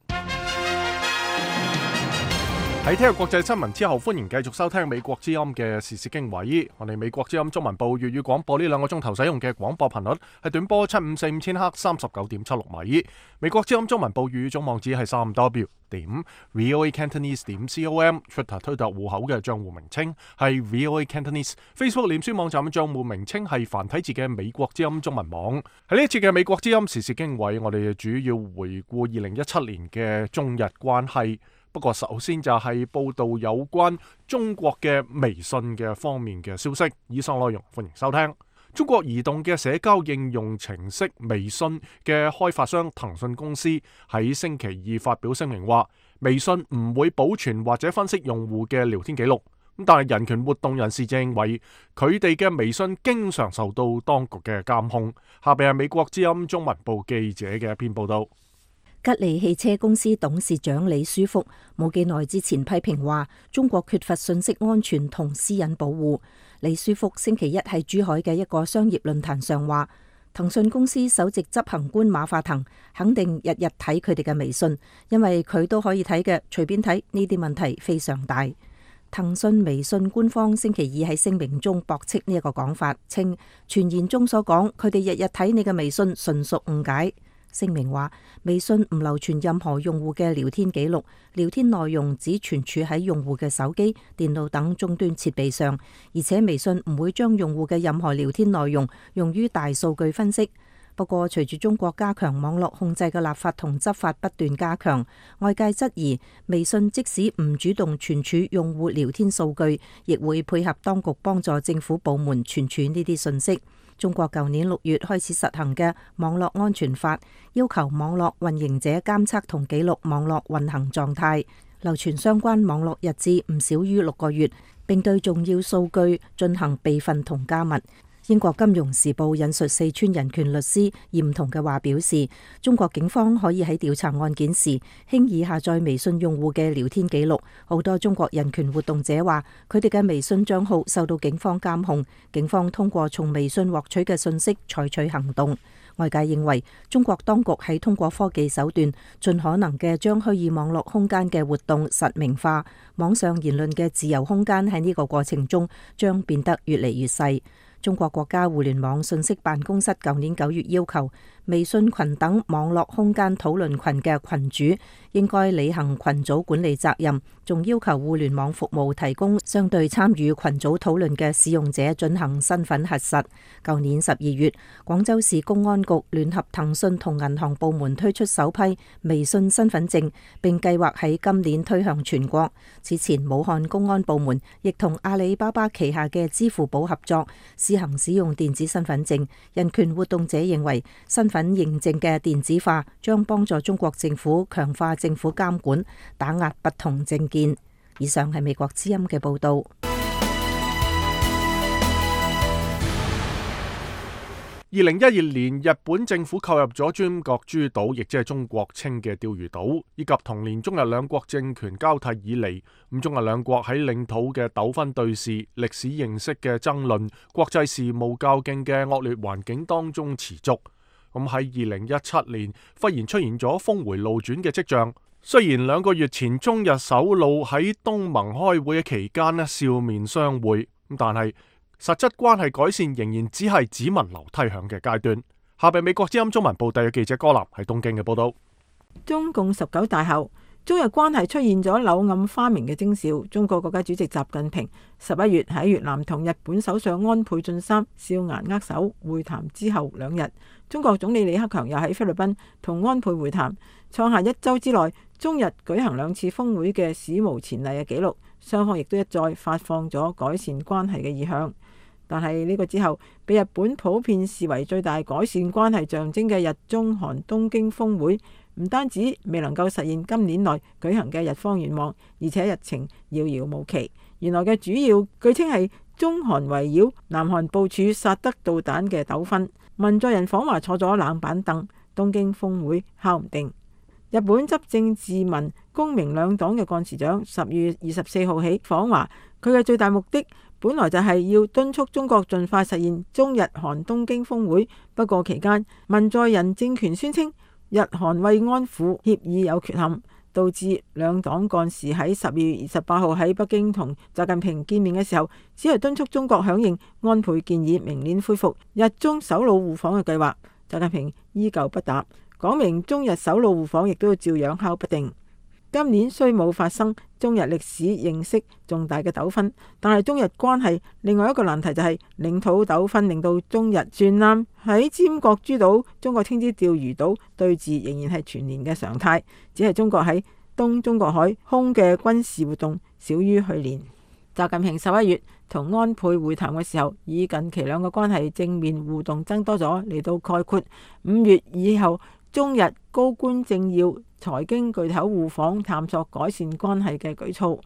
喺聽日國際新聞之後，歡迎繼續收聽美國之音嘅時事經緯。我哋美國之音中文部粵語廣播呢兩個鐘頭使用嘅廣播頻率係短波七五四五千赫三十九點七六米。美國之音中文部粵語總網址係三 W 點 V O A Cantonese 點 com。Twitter 推特戶口嘅賬戶名稱係 V O A Cantonese。Facebook 臉書網站嘅賬戶名稱係繁體字嘅美國之音中文網。喺呢一次嘅美國之音時事經緯，我哋主要回顧二零一七年嘅中日關係。不過首先就係報道有關中國嘅微信嘅方面嘅消息。以上內容歡迎收聽。中國移動嘅社交應用程式微信嘅開發商騰訊公司喺星期二發表聲明話，微信唔會保存或者分析用戶嘅聊天記錄。咁但係人權活動人士就認為佢哋嘅微信經常受到當局嘅監控。下邊係美國之音中文部記者嘅一篇報道。吉利汽車公司董事長李書福冇幾耐之前批評話，中國缺乏信息安全同私隱保護。李書福星期一喺珠海嘅一個商業論壇上話，騰訊公司首席執行官馬化騰肯定日日睇佢哋嘅微信，因為佢都可以睇嘅，隨便睇，呢啲問題非常大。騰訊微信官方星期二喺聲明中駁斥呢一個講法，稱傳言中所講佢哋日日睇你嘅微信純屬誤解。聲明話，微信唔留存任何用戶嘅聊天記錄，聊天內容只存儲喺用戶嘅手機、電腦等終端設備上，而且微信唔會將用戶嘅任何聊天內容用於大數據分析。不過，隨住中國加強網絡控制嘅立法同執法不斷加強，外界質疑微信即使唔主動存儲用戶聊天數據，亦會配合當局幫助政府部門存儲呢啲信息。中國舊年六月開始實行嘅網絡安全法，要求網絡運營者監測同記錄網絡運行狀態，流傳相關網絡日誌唔少於六個月，並對重要數據進行備份同加密。英國金融時報引述四川人權律師嚴彤嘅話表示，中國警方可以喺調查案件時輕易下載微信用戶嘅聊天記錄。好多中國人權活動者話，佢哋嘅微信賬號受到警方監控，警方通過從微信獲取嘅信息採取行動。外界認為，中國當局喺通過科技手段，盡可能嘅將虛擬網絡空間嘅活動實名化，網上言論嘅自由空間喺呢個過程中將變得越嚟越細。中國國家互聯網信息辦公室舊年九月要求，微信群等網絡空間討論群嘅群主應該履行群組管理責任，仲要求互聯網服務提供相對參與群組討論嘅使用者進行身份核實。舊年十二月，廣州市公安局聯合騰訊同銀行部門推出首批微信身份證，並計劃喺今年推向全國。此前，武漢公安部門亦同阿里巴巴旗下嘅支付寶合作，試行使用電子身份證。人權活動者認為，身份認證嘅電子化將幫助中國政府強化政府監管，打壓不同政見。以上係美國之音嘅報道。二零一二年，日本政府購入咗尖閣諸島，亦即係中國稱嘅釣魚島，以及同年中日兩國政權交替以嚟，咁中日兩國喺領土嘅糾紛對峙、歷史認識嘅爭論、國際事務較勁嘅惡劣環境當中持續。咁喺二零一七年，忽然出現咗峰回路轉嘅跡象。雖然兩個月前中日首腦喺東盟開會嘅期間呢笑面相會，咁但係實質關係改善仍然只係只聞樓梯響嘅階段。下邊美國之音中文部特約記者柯南喺東京嘅報道。中共十九大後，中日關係出現咗柳暗花明嘅徵兆。中國國家主席習近平十一月喺越南同日本首相安倍晉三笑顏握手會談之後兩日，中國總理李克強又喺菲律賓同安倍會談，創下一周之內中日舉行兩次峰會嘅史無前例嘅紀錄。雙方亦都一再發放咗改善關係嘅意向。但係呢個之後，被日本普遍視為最大改善關係象徵嘅日中韓東京峰會，唔單止未能夠實現今年內舉行嘅日方願望，而且日程遙遙無期。原來嘅主要據稱係中韓圍繞南韓部署薩德導彈嘅糾紛。文在寅訪華坐咗冷板凳，東京峰會敲唔定。日本執政自民公明兩黨嘅幹事長十月二十四號起訪華，佢嘅最大目的本來就係要敦促中國盡快實現中日韓東京峰會，不過期間文在寅政權宣稱日韓慰安婦協議有缺陷，導致兩黨幹事喺十二月二十八號喺北京同習近平見面嘅時候，只係敦促中國響應安倍建議，明年恢復日中首腦互訪嘅計劃。習近平依舊不答，講明中日首腦互訪亦都要照樣敲不定。今年雖冇發生中日歷史認識重大嘅糾紛，但係中日關係另外一個難題就係領土糾紛，令到中日船艦喺尖閣諸島，中國稱之釣魚島對峙仍然係全年嘅常態，只係中國喺東中國海空嘅軍事活動少於去年。習近平十一月同安倍會談嘅時候，以近期兩個關係正面互動增多咗嚟到概括五月以後中日高官政要財經巨頭互訪探索改善關係嘅舉措。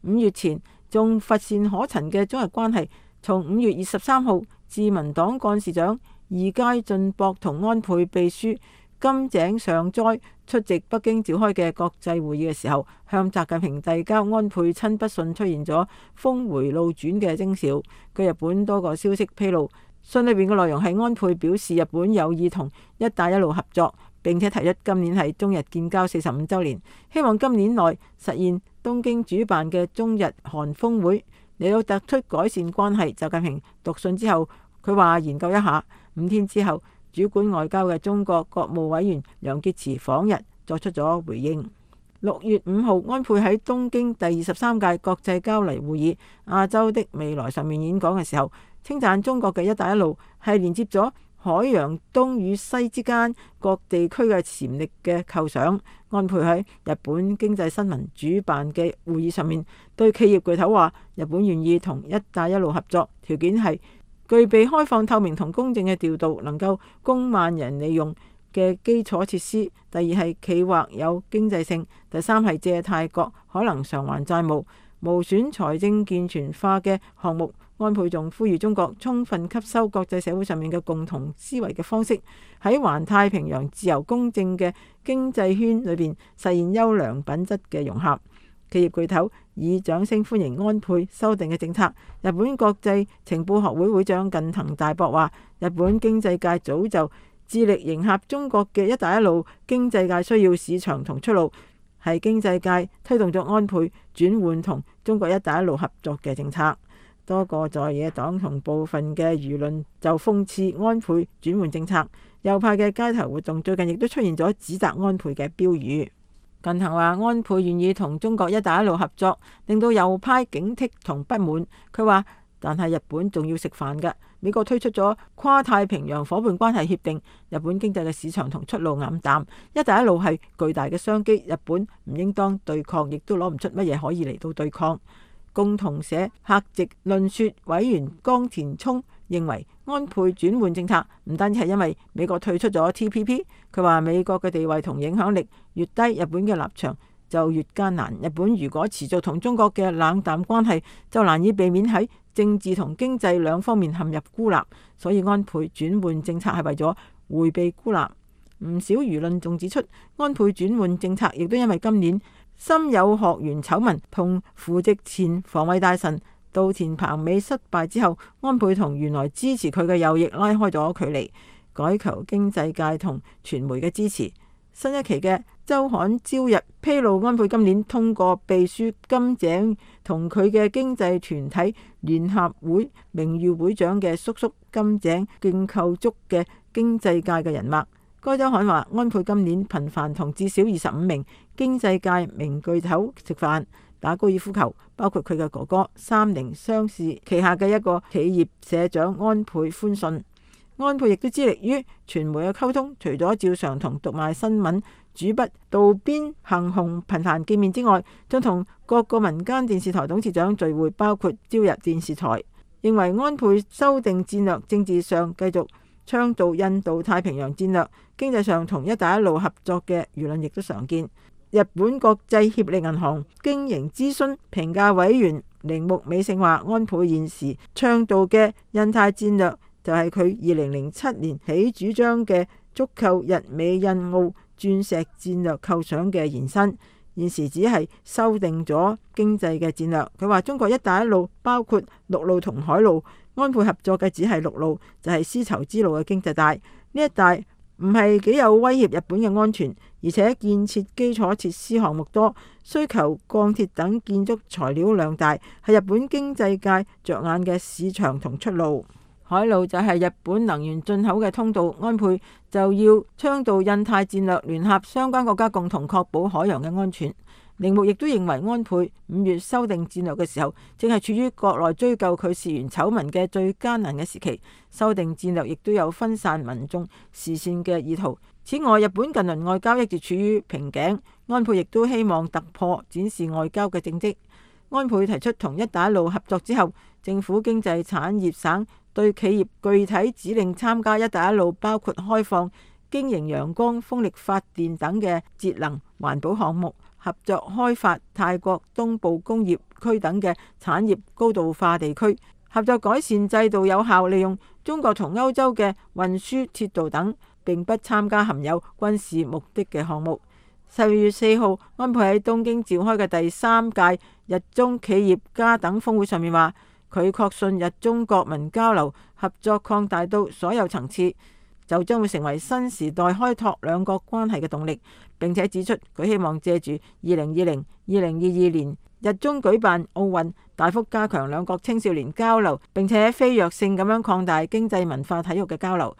五月前仲乏善可陳嘅中日關係，從五月二十三號自民黨幹事長二階俊博同安倍秘書金井上哉出席北京召開嘅國際會議嘅時候，向習近平遞交安倍親筆信，出現咗峰回路轉嘅徵兆。據日本多個消息披露，信裏邊嘅內容係安倍表示日本有意同一帶一路合作，並且提出今年係中日建交四十五週年，希望今年內實現東京主辦嘅中日韓峰會，嚟到突出改善關係。習近平讀信之後，佢話研究一下。五天之後，主管外交嘅中國國務委員楊潔篪訪日作出咗回應。六月五號，安倍喺東京第二十三屆國際交流會議亞洲的未來上面演講嘅時候，稱讚中國嘅一帶一路係連接咗海洋東與西之間各地區嘅潛力嘅構想。安倍喺日本經濟新聞主辦嘅會議上面對企業巨頭話，日本願意同一帶一路合作，條件係具備開放透明同公正嘅調度，能夠供萬人利用嘅基礎設施。第二係企劃有經濟性。第三係借貸國可能償還債務，無損財政健全化嘅項目。安倍仲呼籲中國充分吸收國際社會上面嘅共同思維嘅方式，喺環太平洋自由公正嘅經濟圈裏邊實現優良品質嘅融合。企業巨頭以掌聲歡迎安倍修訂嘅政策。日本國際情報學會會長近藤大博話，日本經濟界早就致力迎合中國嘅一帶一路經濟界需要市場同出路，係經濟界推動咗安倍轉換同中國一帶一路合作嘅政策。多個在野黨同部分嘅輿論就諷刺安倍轉換政策。右派嘅街頭活動最近亦都出現咗指責安倍嘅標語。近藤話安倍願意同中國一帶一路合作，令到右派警惕同不滿。佢話，但係日本仲要食飯㗎。美國推出咗跨太平洋夥伴關係協定，日本經濟嘅市場同出路黯淡。一帶一路係巨大嘅商機，日本唔應當對抗，亦都攞唔出乜嘢可以嚟到對抗。共同社客席論說委員江田聰認為，安倍轉換政策唔單止係因為美國退出咗 T P P， 佢話美國嘅地位同影響力越低，日本嘅立場就越艱難。日本如果持續同中國嘅冷淡關係，就難以避免喺政治同經濟兩方面陷入孤立。所以安倍轉換政策係為咗迴避孤立。唔少輿論仲指出，安倍轉換政策亦都因為今年森友學園醜聞同扶植前防衛大臣稻田朋美失敗之後，安倍同原來支持佢嘅右翼拉開咗距離，改求經濟界同傳媒嘅支持。新一期嘅週刊朝日披露，安倍今年通過秘書金井同佢嘅經濟團體聯合會名譽會長嘅叔叔金井建構築嘅經濟界嘅人脈。該週刊話，安倍今年頻繁同至少二十五名經濟界名巨頭食飯、打高爾夫球，包括佢嘅哥哥三菱商事旗下嘅一個企業社長安倍寬信。安倍亦都致力於傳媒嘅溝通，除咗照常同讀賣新聞主筆渡邊幸雄頻繁見面之外，仲同各個民間電視台董事長聚會，包括朝日電視台。認為安倍修訂戰略，政治上繼續倡導印度太平洋戰略，經濟上同一帶一路合作嘅輿論亦都常見。日本國際協力銀行經營諮詢評價委員鈴木美勝話，安倍現時倡導嘅印太戰略就係佢二零零七年起主張嘅足扣日美印澳鑽石戰略構想嘅延伸。現時只係修訂咗經濟嘅戰略。佢話中國一帶一路包括陸路同海路，安倍合作嘅只係陸路，就係絲綢之路嘅經濟帶。呢一帶唔係幾有威脅日本嘅安全，而且建設基礎設施項目多，需求鋼鐵等建築材料量大，係日本經濟界着眼嘅市場同出路。海路就係日本能源進口嘅通道，安倍就要倡導印太戰略，聯合相關國家共同確保海洋嘅安全。鈴木亦都認為安倍五月修訂戰略嘅時候，正係處於國內追究佢事源醜聞嘅最艱難嘅時期。修訂戰略亦都有分散民眾視線嘅意圖。此外，日本近鄰外交一直處於瓶頸，安倍亦都希望突破，展示外交嘅政績。安倍提出同一帶一路合作之後，政府經濟產業省對企業具體指令參加一帶一路，包括開放經營陽光風力發電等嘅節能環保項目，合作開發泰國東部工業區等嘅產業高度化地區，合作改善制度，有效利用中國同歐洲嘅運輸鐵道等，並不參加含有軍事目的嘅項目。十二月四號，安倍喺東京召開嘅第三屆日中企業家等峰會上面話，佢確信日中國民交流合作擴大到所有層次，就將會成為新時代開拓兩國關係嘅動力。並且指出，佢希望借住二零二零、二零二二年日中舉辦奧運，大幅加強兩國青少年交流，並且飛躍性咁樣擴大經濟文化體育嘅交流。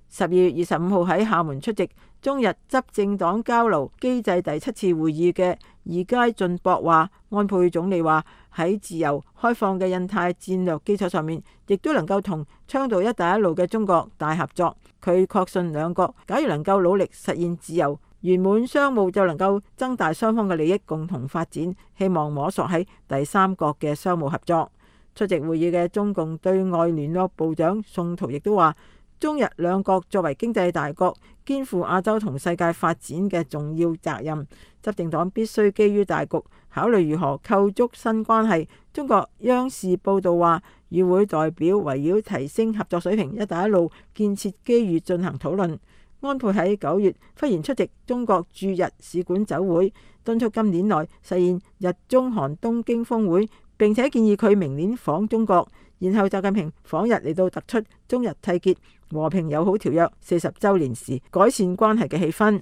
十二月二十五號喺廈門出席中日執政黨交流機制第七次會議嘅二階俊博話，安倍總理話喺自由開放嘅印太戰略基礎上面，亦都能夠同倡導一帶一路嘅中國大合作。佢確信兩國假如能夠努力實現自由圓滿商務，就能夠增大雙方嘅利益，共同發展。希望摸索喺第三國嘅商務合作。出席會議嘅中共對外聯絡部長宋濤亦都話，中日兩國作為經濟大國，肩負亞洲同世界發展嘅重要責任。執政黨必須基於大局，考慮如何構築新關係。中國央視報道話，與會代表圍繞提升合作水平、一帶一路建設機遇進行討論。安倍喺九月忽然出席中國駐日使館酒會，敦促今年內實現日中韓東京峰會，並且建議佢明年訪中國。然後習近平訪日嚟到突出中日締結和平友好條約四十週年時改善關係嘅氣氛。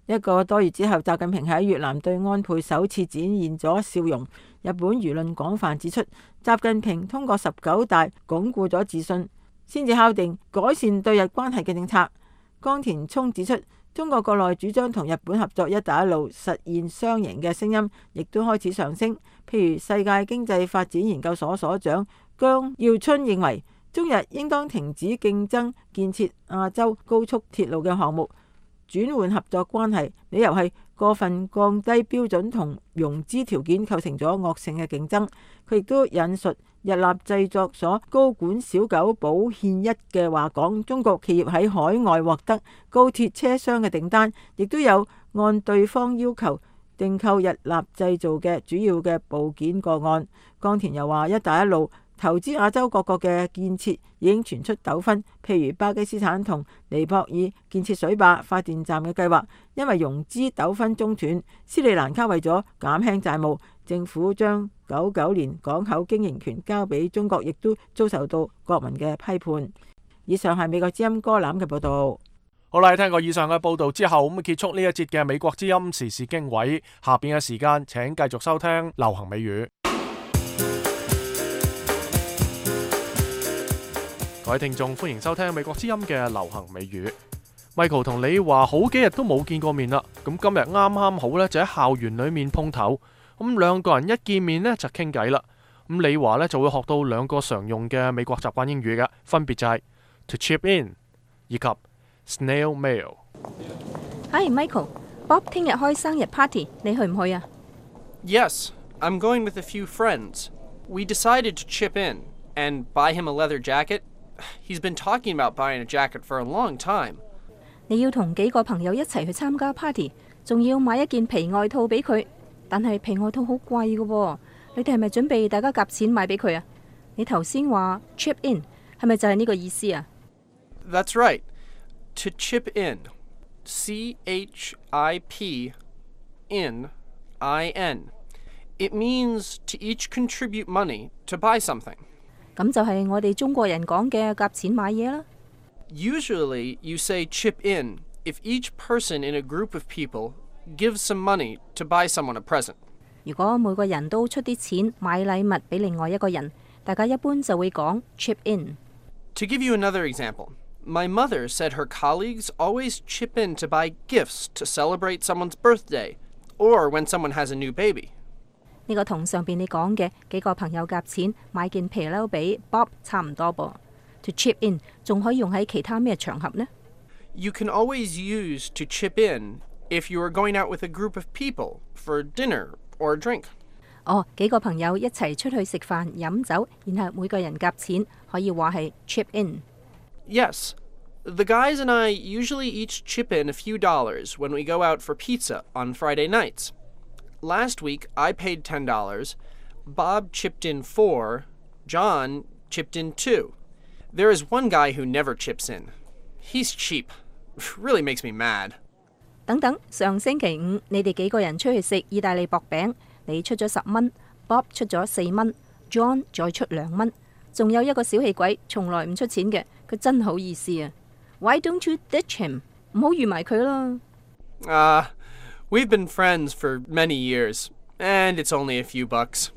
一個多月之後，習近平喺越南對安倍首次展現咗笑容。日本輿論廣泛指出，習近平通過十九大鞏固咗自信，先至敲定改善對日關係嘅政策。江田聰指出，中國國內主張同日本合作一帶一路實現雙贏嘅聲音亦都開始上升。譬如世界經濟發展研究所所長姜耀春認為，中日應當停止競爭建設亞洲高速鐵路嘅項目，轉換合作關係。理由係過分降低標準同融資條件構成咗惡性嘅競爭。佢亦都引述日立製作所高管小久保憲一嘅話講，中國企業喺海外獲得高鐵車廂嘅訂單，亦都有按對方要求訂購日立製造嘅主要嘅部件個案。江田又話，一帶一路投資亞洲各國嘅建設已經傳出糾紛，譬如巴基斯坦同尼泊爾建設水壩發電站嘅計劃，因為融資糾紛中斷。斯里蘭卡為咗減輕債務，政府將九九年港口經營權交俾中國，亦都遭受到國民嘅批判。以上係美國之音歌攬嘅報道。好啦，聽過以上嘅報道之後，咁結束呢一節嘅美國之音時事經緯。下邊嘅時間，請繼續收聽流行美語。各位聽眾，歡迎收聽美國之音嘅流行美語。Michael 同你話好幾日都冇見過面啦，咁今日啱啱好呢，就喺校園裏面碰頭，咁兩個人一見面呢，就傾偈啦。咁你話呢，就會學到兩個常用嘅美國習慣英語嘅，分別就係 to chip in 以及 snail mail。Hi Michael，Bob 聽日開生日 party， 你去唔去啊？ Yes, I'm going with a few friends. We decided to chip in and buy him a leather jacket.He's been talking about buying a jacket for a long time. 你要同幾個朋友一齊去參加 party， 仲要買一件皮外套俾佢，但係皮外套好貴㗎喎。你哋係咪準備大家夾錢買俾佢啊？你頭先話 chip in 係咪就係呢個意思啊？ That's right. To chip in, C H I P in I N. It means to each contribute money to buy something. 咁就係我哋中國人講嘅夾錢買嘢啦。Usually, you say chip in if each person in a group of people gives some money to buy someone a present. 如果每個人都出啲錢買禮物俾另外一個人，大家一般就會講 chip in。To give you another example, my mother said her colleagues always chip in to buy gifts to celebrate someone's birthday or when someone has a new baby. 呢個同上邊你講嘅幾個朋友夾錢買件皮褸俾 Bob 差唔多噃。To chip in 仲可以用喺其他咩場合呢？ You can always use to chip in if you are going out with a group of people for dinner or a drink. 哦，幾個朋友一齊出去食飯飲酒，然後每個人夾錢，可以話係 chip in。 Yes, the guys and I usually each chip in a few dollars when we go out for pizza on Friday nights. Last week, I paid ten dollars, Bob chipped in four, John chipped in two. There is one guy who never chips in. He's cheap. Really makes me mad. 等等，上星期五你哋幾個人出去食意大利薄餅，你出咗十蚊 ，Bob 出咗四蚊 ，John 再出兩蚊，仲有一個小氣鬼，從來唔出錢嘅，佢真好意思啊 ！Why don't you ditch him？ 唔好預埋佢啦。Ah, uh, we've been friends for many years, and it's only a few bucks.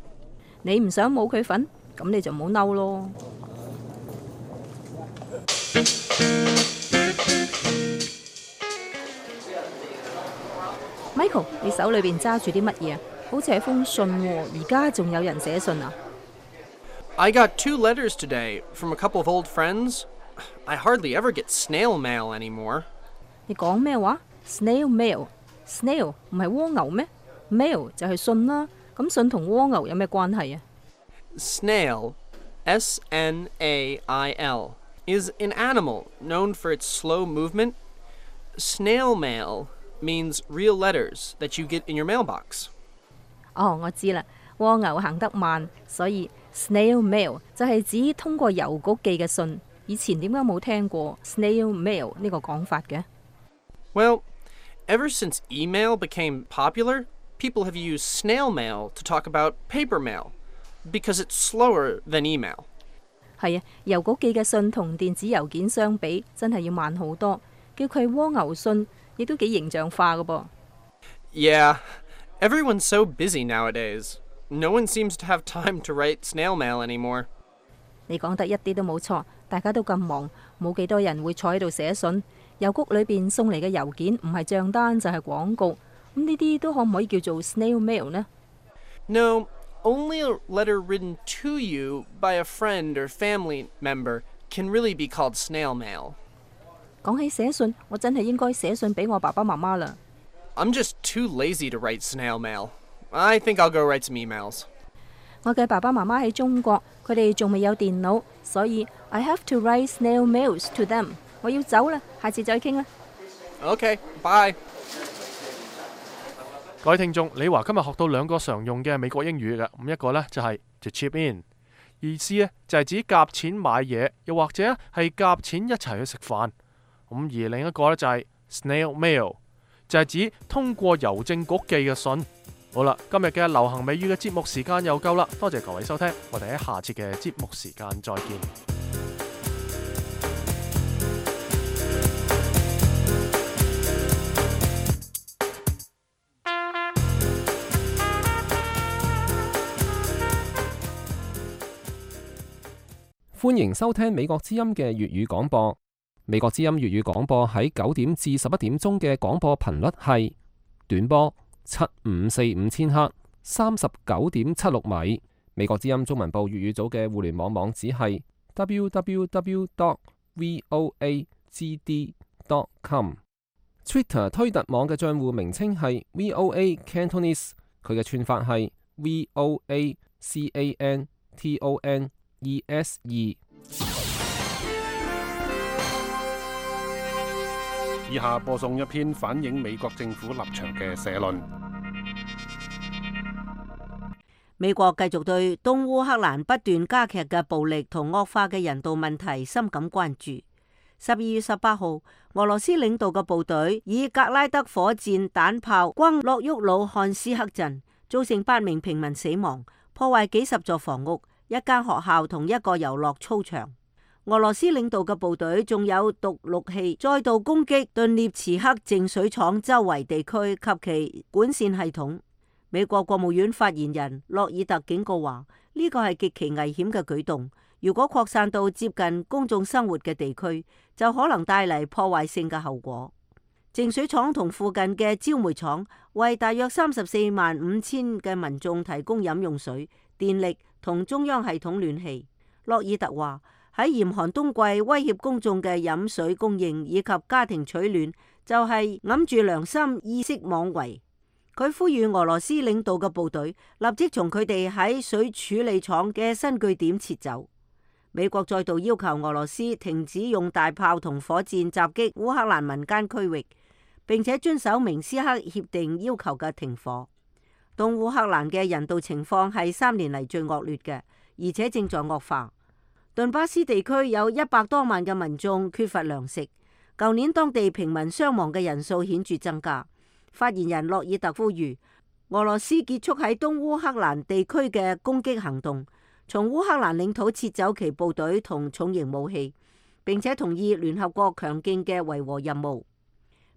你唔想冇佢份，咁你就唔好嬲咯。Michael， 你手裏邊揸住啲乜嘢？好似係封信喎，而家仲有人寫信啊 I got two letters today from a couple of old friends. I hardly ever get snail mail anymore. 你講咩話 ？Snail mail，snail 唔係蝸牛咩 ？mail 就係信啦。咁信同蝸牛有咩關係啊 Snail, S N A I L, is an animal known for its slow movement. Snail mail means real letters that you get in your mailbox. 哦，我知啦，蝸牛行得慢，所以 snail mail 就係指通過郵局寄嘅信。以前點解冇聽過 snail mail 呢個講法嘅 Well, ever since email became popular, people have used snail mail to talk about paper mail because it's slower than email. 係啊，郵局寄嘅信同電子郵件相比，真係要慢好多。叫佢蝸牛信，亦都幾形象化㗎噃。Yeah, everyone's so busy nowadays. No one seems to have time to write snail mail anymore. 你講得一啲都冇錯，大家都咁忙，冇幾多人會坐喺度寫信。郵局裏邊送嚟嘅郵件唔係帳單就係廣告，咁呢啲都可唔可以叫做 snail mail 呢 No, only a letter written to you by a friend or family member can really be called snail mail. 講起寫信，我真係應該寫信俾我爸爸媽媽啦。I'm just too lazy to write snail mail. I think I'll go write some emails. 我嘅爸爸媽媽喺中國，佢哋仲未有電腦，所以 I have to write snail mails to them. 我要走啦，下次再傾啦。Okay, bye. 各位聽眾，李華今日學到兩個常用嘅美國英語嘅，咁一個呢就係 to chip in， 意思呢就係指夾錢買嘢，又或者係夾錢一齊去食飯。咁而另一個呢就係 snail mail， 就係指通過郵政局寄嘅信。好啦，今日嘅流行美語嘅節目時間又夠啦，多謝各位收聽，我哋喺下次嘅節目時間再見。歡迎收聽美國之音嘅粵語廣播。美國之音粵語廣播喺九點至十一點鐘嘅廣播頻率係短波七五四五千赫，三十九點七六米。美國之音中文部粵語組嘅互聯網網址係 w w w dot voa g d dot com。Twitter 推特網嘅賬戶名稱係 V O A Cantonese， 佢嘅串法係 V O A C A N T O N E S E。以下播送一篇反映美國政府立場嘅社論。美國繼續對東烏克蘭不斷加劇嘅暴力同惡化嘅人道問題深感關注。十二月十八號，俄羅斯領導嘅部隊以格拉德火箭彈炮轟諾沃魯漢斯克鎮，造成八名平民死亡，破壞幾十座房屋、一間學校同一個遊樂操場。俄羅斯領導嘅部隊仲有毒氯氣再度攻擊頓涅茨克淨水廠周圍地區及其管線系統。美國國務院發言人洛爾特警告話，呢個係極其危險嘅舉動，如果擴散到接近公眾生活嘅地區，就可能帶嚟破壞性嘅後果。淨水廠同附近嘅焦煤廠為大約三十四萬五千嘅民眾提供飲用水、電力同中央系統暖氣。洛爾特話，喺嚴寒冬季威脅公眾嘅飲水供應以及家庭取暖，就係揞住良心意識妄為。佢呼籲俄羅斯領導嘅部隊立即從佢哋喺水處理廠嘅新據點撤走。美國再度要求俄羅斯停止用大炮同火箭襲擊烏克蘭民間區域，並且遵守明斯克協定要求嘅停火。東烏克蘭嘅人道情況係三年嚟最惡劣嘅，而且正在惡化。頓巴斯地區有一百多萬嘅民眾缺乏糧食，舊年當地平民傷亡嘅人數顯著增加。發言人洛爾特呼籲俄羅斯結束喺東烏克蘭地區嘅攻擊行動，從烏克蘭領土撤走其部隊同重型武器，並且同意聯合國強勁嘅維和任務。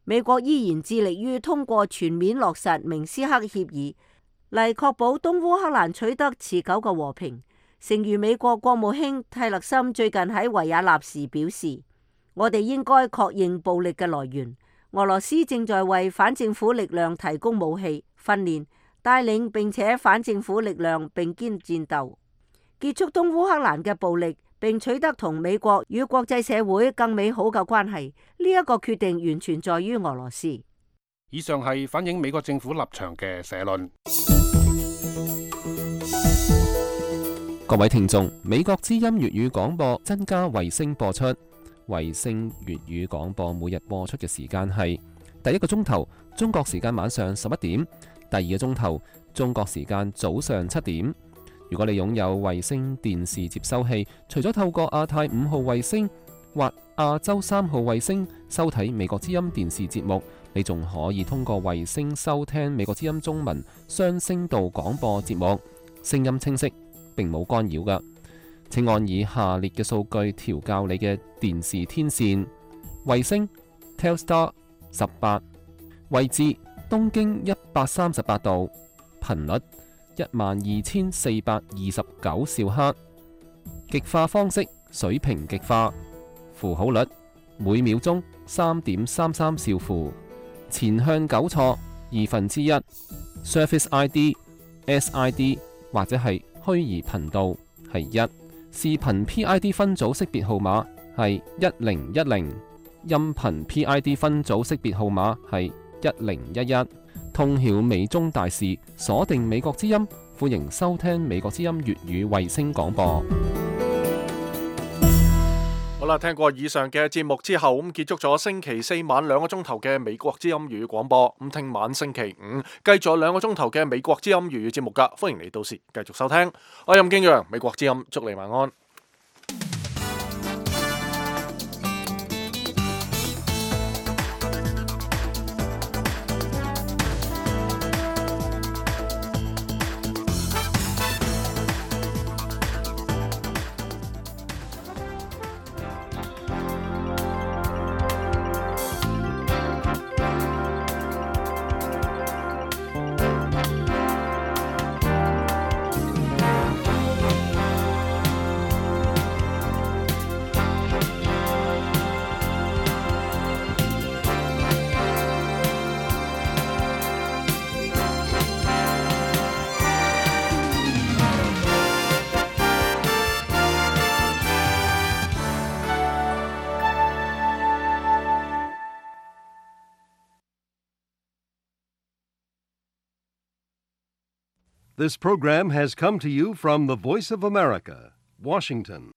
美國依然致力於通過全面落實明斯克協議嚟確保東烏克蘭取得持久嘅和平。誠如美國國務卿蒂勒森最近喺維也納時表示，我哋應該確認暴力嘅來源。俄羅斯正在為反政府力量提供武器、訓練、帶領並且反政府力量並肩戰鬥，結束東烏克蘭嘅暴力，並取得同美國與國際社會更美好嘅關係。呢一個決定完全在於俄羅斯。以上係反映美國政府立場嘅社論。各位聽眾，美國之音粵語廣播增加衛星播出。衛星粵語廣播每日播出嘅時間係第一個鐘頭中國時間晚上十一點，第二個鐘頭中國時間早上七點。如果你擁有衛星電視接收器，除咗透過亞太五號衛星或亞洲三號衛星收睇美國之音電視節目，你仲可以通過衛星收聽美國之音中文雙聲道廣播節目，聲音清晰，並冇干擾㗎。請按以下列嘅數據調校你嘅電視天線：衛星 Telstar 十八，位置東經一百三十八度，頻率一萬二千四百二十九兆赫，極化方式水平極化，符號率每秒鐘三點三三兆符，前向糾錯二分之一 ，Surface I D、S I D 或者係虛擬頻道係一。視頻 P I D 分組識別號碼係一零一零，音頻 P I D 分組識別號碼係一零一一。通曉美中大事，鎖定美國之音，歡迎收聽美國之音粵語衛星廣播。好啦，聽過以上嘅節目之後，咁結束咗星期四晚兩個鐘頭嘅美國之音粵語廣播。咁聽晚星期五繼續兩個鐘頭嘅美國之音粵語節目噶，歡迎你到時繼續收聽。我係任敬揚，美國之音，祝你晚安。This program has come to you from the Voice of America, Washington.